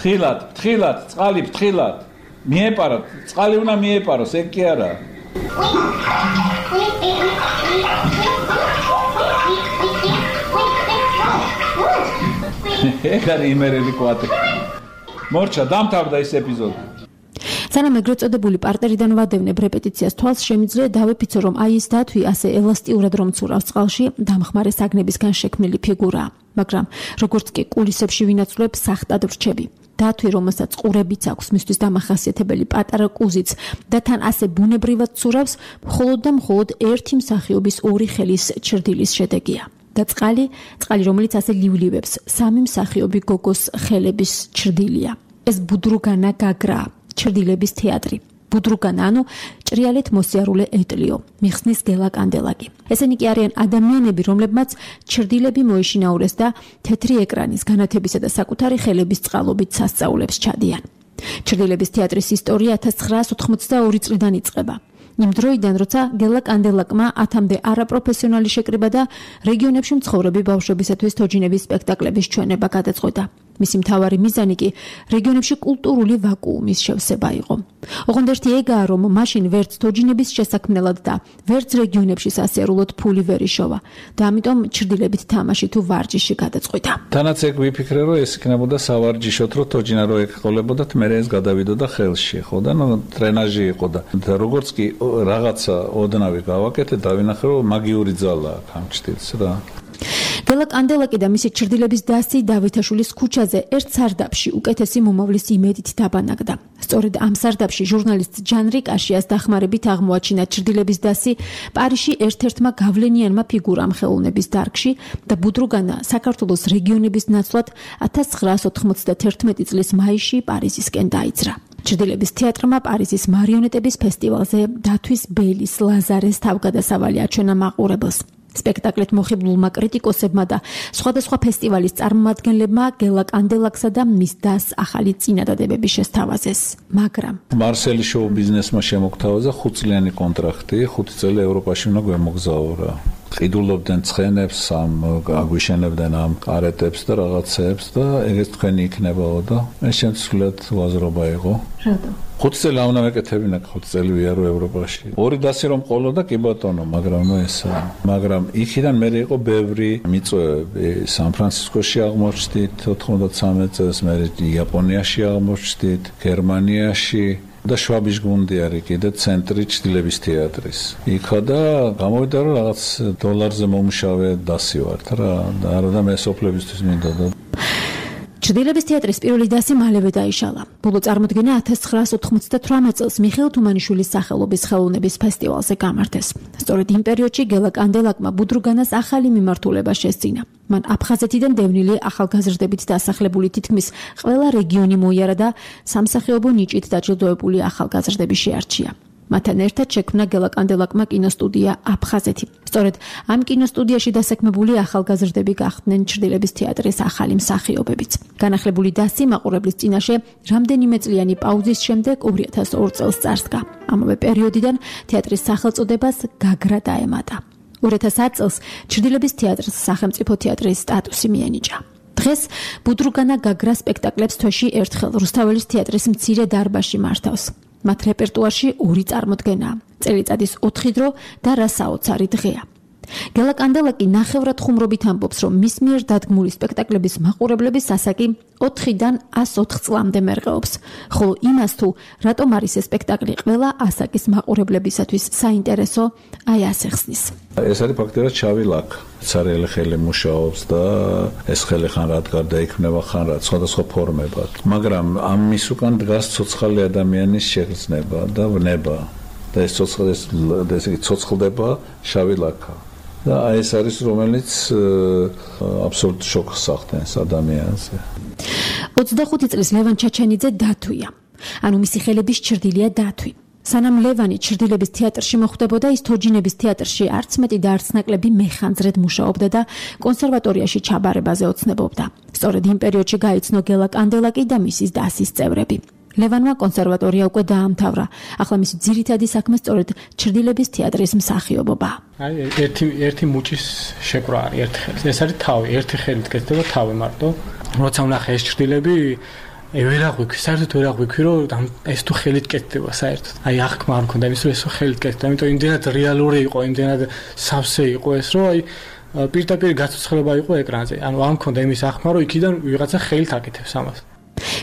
თხილად, წყალი თხილად. მიეპაროთ, წყალი უნდა მიეპაროს, ეგ კი არა. ეგ არის იმერელი კვატი. მორჩა, დამთავრდა ეს ეპიზოდი. სანამ ეგრეთ წოდებული პარტერიდან ვადევნებ რეპეტიციას თვალს, შემიძლია დავეფიცო, რომ აი ეს დათვი ასე ელასტიურად რომ ცურავს წყალში, დამხმარე საგნებისგან შექმნილი ფიგურაა. მაგრამ როგორც კი კულისებში ვინაცვლებ, სახტად ვრჩები. დათვი, რომელსაც ყურებიც აქვს, მისთვის დამახასიათებელი პატარა კუზიც და თან ასე ბუნებრივად ცურავს, მხოლოდ და მხოლოდ ერთი მსახიობის ორი ხელის ჩრდილის შედეგია. და წყალი, რომელიც ასე ლივლივებს, სამი მსახიობი გოგოს ხელების ჩრდილია. ეს ბუდრუგანა გაგრა, ჩრდილების თეატრი. ბუდრუგანა, ანუ ჭრიალით მოსიარულე ეტლიო, მიხსნის გელა კანდელაკი. ესენი კი არიან ადამიანები, რომლებმაც ჩრდილები მოეშინაურეს და თეთრი ეკრანის განათებისა და საკუთარი ხელების წყალობით სასწაულებს ჩადიან. ჩრდილების თეატრის ისტორია 1982 წლიდან იწყება. იმ დროიდან, როცა გელა კანდელაკმა 10-მდე არაპროფესიონალი შეკრიბა და რეგიონებში მცხოვრები ბავშვებისათვის თოჯინების სპექტაკლების ჩვენება გადაწყვეტა. მისი მთავარი მიზანი კი რეგიონებში კულტურული ვაკუუმის შევსება იყო. ოღონდ ერთი ეგაა, რომ მაშინ ვერც თოჯინების შესაქმნელად და ვერც რეგიონებში სასიარულოდ ფული ვერ იშოვა და ამიტომ ჩრდილებით თამაში თუ ვარჯიში გადაწყვიტა. თანაც ეგ ვიფიქრე, რომ ეს იქნებოდა სავარჯიშოთ, რომ თოჯინა რო ეკყოლებოდათ, მე ეს გადავიდოდა ხელში, ხო და ტრენაჟი იყო და როგორც კი რაღაცა ოდნავი გავაკეთე, დავინახე, რომ მაგიური ძალა აქვს ამ ჩრდილს რა. გელა კანდელაკი და მისი ჩრდილების დასი დავითაშვილის ქუჩაზე ერთ სარდაფში უკეთესი მომავლის იმედით დაბანაკდა. სწორედ ამ სარდაფში ჟურნალისტ ჯან რიკაშიას დახმარებით აღმოაჩინა ჩრდილების დასი პარიზში ერთ-ერთმა გავლენიანმა ფიგურამ ხელოვნების დარგში და ბუდრუგანა საქართველოს რეგიონების ნაცვლად 1991 წლის მაისში პარიზისკენ დაიძრა. ჩრდილების თეატრმა პარიზის მარიონეტების ფესტივალზე დათვის ბელის ლაზარეს თავგადასავალი აჩვენა მაყურებელს. სპექტაკლით მოხიბლულმა კრიტიკოსებმა და სხვადასხვა ფესტივალის წარმომადგენლებმა გელა კანდელაქსა და მის დას ახალი წინადადებები შესთავაზეს. მაგრამ მარსელი შოუ ბიზნესმა შემოგთავაზა 5 წლიანი კონტრაქტი, 5 წელი ევროპაში უნდა გვემოგზაურა. ყიდულობდნენ ცხენებს, აგვიშენებდნენ ამ კარეტებს და რაღაცებს და ეგეც თქვენი იქნებაო და ეს შემცვლად ვაზრობა იყო. რატო? 5 წელი არ უნდა მეკეთებინა, 5 წელი ვიარო ევროპაში. ორი დასი რომ ყოლოდა კი ბატონო, მაგრამ მაგრამ იქიდან მე იყო ბევრი მიწვევები. სან-ფრანცისკოში აღმოჩნდით 93 წელს, მე იაპონიაში აღმოჩნდით, გერმანიაში და შვაბის გუნდი არის კიდე ცენტრი ჭდილების თეატრის. იქა და გამოვიდა რომ რაღაც დოლარზე მომუშავე დასი ვართ რა და არა მე სოფლებისთვის მინდა და ჭდილების თეატრის პირველი დასი მალევე დაიშალა. ბოლო წარმოდგენა 1998 წელს მიხეილ თუმანიშვილის სახელობის ხელოვნების ფესტივალზე გამართეს. სწორედ იმ პერიოდში გელა კანდელაკმა ბუდრუგანას ახალი მიმართულება შესძინა. მან აფხაზეთიდან დევნილი ახალგაზრდებით დასახლებული თითქმის ყველა რეგიონი მოიარა და სამსახიობო ნიჭით დაჯილდოებული ახალგაზრდები შეარჩია. მათთან ერთად შექმნა გელა კანდელაკმა კინოსტუდია აფხაზეთი. სწორედ ამ კინოსტუდიაში დასაქმებული ახალგაზრდები გახდნენ ჭრდილების თეატრის ახალი მსახიობებიც. განახლებული დასი მაყურებლის წინაშე რამდენიმე წლიანი პაუზის შემდეგ 2002 წელს წარსდგა. ამავე პერიოდიდან თეატრის სახელწოდებას გაგრა დაემატა. 2010 წელს ჭრდილების თეატრს სახელმწიფო თეატრის სტატუსი მიენიჭა. დღეს ბუდრუგანა გაგრა სპექტაკლებს თვეში ერთხელ რუსთაველის თეატრის მცირე დარბაზში მართავს. მათ რეპერტუარში 2 წარმოდგენაა. წელიწადის 4 დრო და რა საოცარი დღეა. გელა კანდელაკი ნახევრად ხუმრობით ამბობს, რომ მის მიერ დადგმული სპექტაკლების მაყურებლების ასაკი 4-დან 104 წლამდე მერყეობს. ხოლო იმას თუ რატომ არის ეს სპექტაკლი ყველა ასაკის მაყურებლებისათვის საინტერესო, აი ასე ხსნის. ეს არის ფაქტობრივად შავი ლაქ. ცარიელი ხელი მუშაობს და ეს ხელი ხან რა გარდაიქმნება, ხან რა სხვადასხვა ფორმებად. მაგრამ ამის უკან დგას ცოცხალი ადამიანის შეგრძნება და ვნება. და ეს ცოცხლდება შავი ლაქა. და ეს არის რომელიც აბსოლუტ შოკს ახდენს ადამიანზე. 25 წლის ლევან ჩაჩენიძე დათვია. ანუ მისი ხელების ჭრდილია დათვი. სანამ ლევანი ჭრდილების თეატრში მოხვდებოდა, ის თოჯინების თეატრში არც მეტი და არც ნაკლები მეხანძრედ მუშაობდა და კონსერვატორიაში ჩაბარებაზე ოცნებობდა. სწორედ იმ პერიოდში გაიცნო გელა კანდელაკი და მისის დასის წევრები. ლევანმა კონსერვატორია უკვე დაამთავრა. ახლა მისი ძირითადი საქმე სწორედ ჭრდილების თეატრის მსახიობობა. აი ერთი მუჭის შეკრა არის ერთხელ. ეს არის თავი, ერთი ხელით კეთდება თავი მარტო. როცა ვნახე ეს ჭრდილები, ვერ აღვიქვი, საერთოდ ვერ აღვიქვი, რომ ეს თუ ხელით კეთდება საერთოდ. აი აღქმა არ მქონდა იმის, რომ ეს ხელით კეთდება, იმიტომ იმდენად რეალური იყო, იმდენად სავსე იყო ეს, რომ აი პირდაპირ გაცოცხლება იყო ეკრანზე. ანუ არ მქონდა იმის აღქმა, რომ იქიდან ვიღაცა ხელით აკეთებს ამას.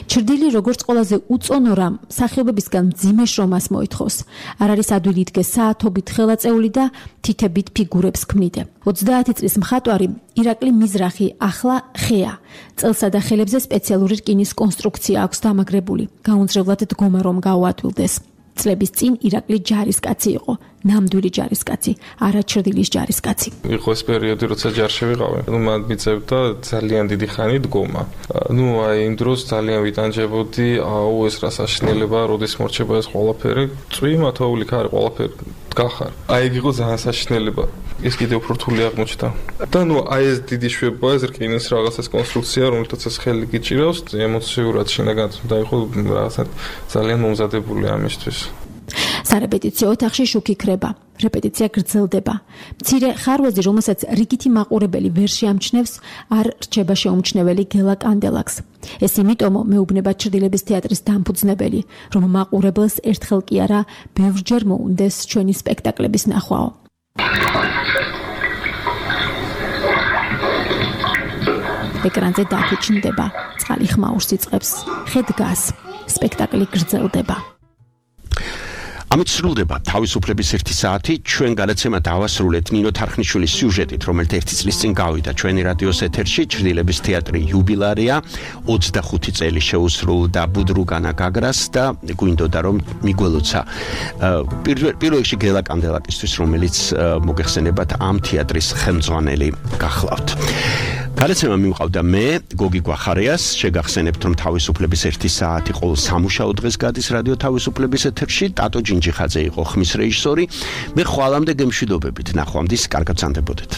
ჭრდილი როგორც ყველაზე უწონო რამ მსახიობებისგან მძიმე შრომას მოითხოვს. არ არის ადვილი იდგეს საათობით ხელაწეული და თითებით ფიგურებს ქმნიდე. 30 წლის მხატვარი ირაკლი მიზრახი ახლა ხეა. წელსა და ხელებზე სპეციალური რკინის კონსტრუქცია აქვს დამაგრებული. გაუნձრებლად დგომა რომ გაუადვილდეს. წლების წინ ირაკლი ჯარისკაცი იყო, ნამდვილი ჯარისკაცი, არა ჭრდილის ჯარისკაცი. იყო ეს პერიოდი, როცა ჯარში ვიყავი. მან მიწევდა ძალიან დიდი ხანი დგომა. აი იმ დროს ძალიან ვიტანჯებოდი, ეს რა საშინელება, როდის მორჩება ეს ყველაფერი. წვიმა თოვლი ხარ, ყველაფერი გახარ. აი ეგ იყო ძალიან საშინელება. ეს კიდე უფრო რთული აღმოჩნდა. და აი ეს დიდი შვება, ეს რკინის რაღაცას კონსტრუქცია, რომელთაც ეს ხელი გიჭირავს, ემოციურად შინაგან და იყო რაღაცა ძალიან მომზადებული ამისთვის. სარეპეტიციო ოთახში შუქი ქრება, რეპეტიცია გრძელდება. მცირე ხარვეზი, რომელსაც რიგითი მაყურებელი ვერ შეამჩნევს, არ რჩება შეუმჩნეველი გელა კანდელაკს. ეს იმიტომო მეუბნება ჭრდილების თეატრის დამფუძნებელი, რომ მაყურებელს ერთხელ კი არა, ბევრჯერ მოუნდეს ჩვენი სპექტაკლების ნახვაო. ეკრანზე დაფუჭნდება, წყალი ხმაურს იწყებს, ხე დგას, სპექტაკლი გრძელდება. ამით სრულდება თავისუფლების 1 საათი. ჩვენ გადაცემა დავასრულეთ ნინო თარხნიშვილის სიუჟეტით, რომელიც 1 წლის წინ გავიდა ჩვენი რადიოს ეთერში. ჭრდილების თეატრი იუბილარია 25 წელი შეუსრულდა ბუდრუგანა გაგრას და გვინდოდა რომ მიგველოცა პირველ რიგში გელა კანდელაკისთვის, რომელიც მოგეხსენებათ ამ თეატრის ხელმძღვანელი გახლავთ. გადაცემა მიმყავდა მე, გოგი გვახარიას, შეგახსენებთ, რომ თავისუფლების 1 საათი ყოველ სამუშაო დღეს გადის რადიო თავისუფლების ეთერში, ტატო ჯინჯიხაძე იყო ხმის რეჟისორი. მე ხვალამდე გემშვიდობებით, ნახვამდის, კარგად ვსანდებოდეთ.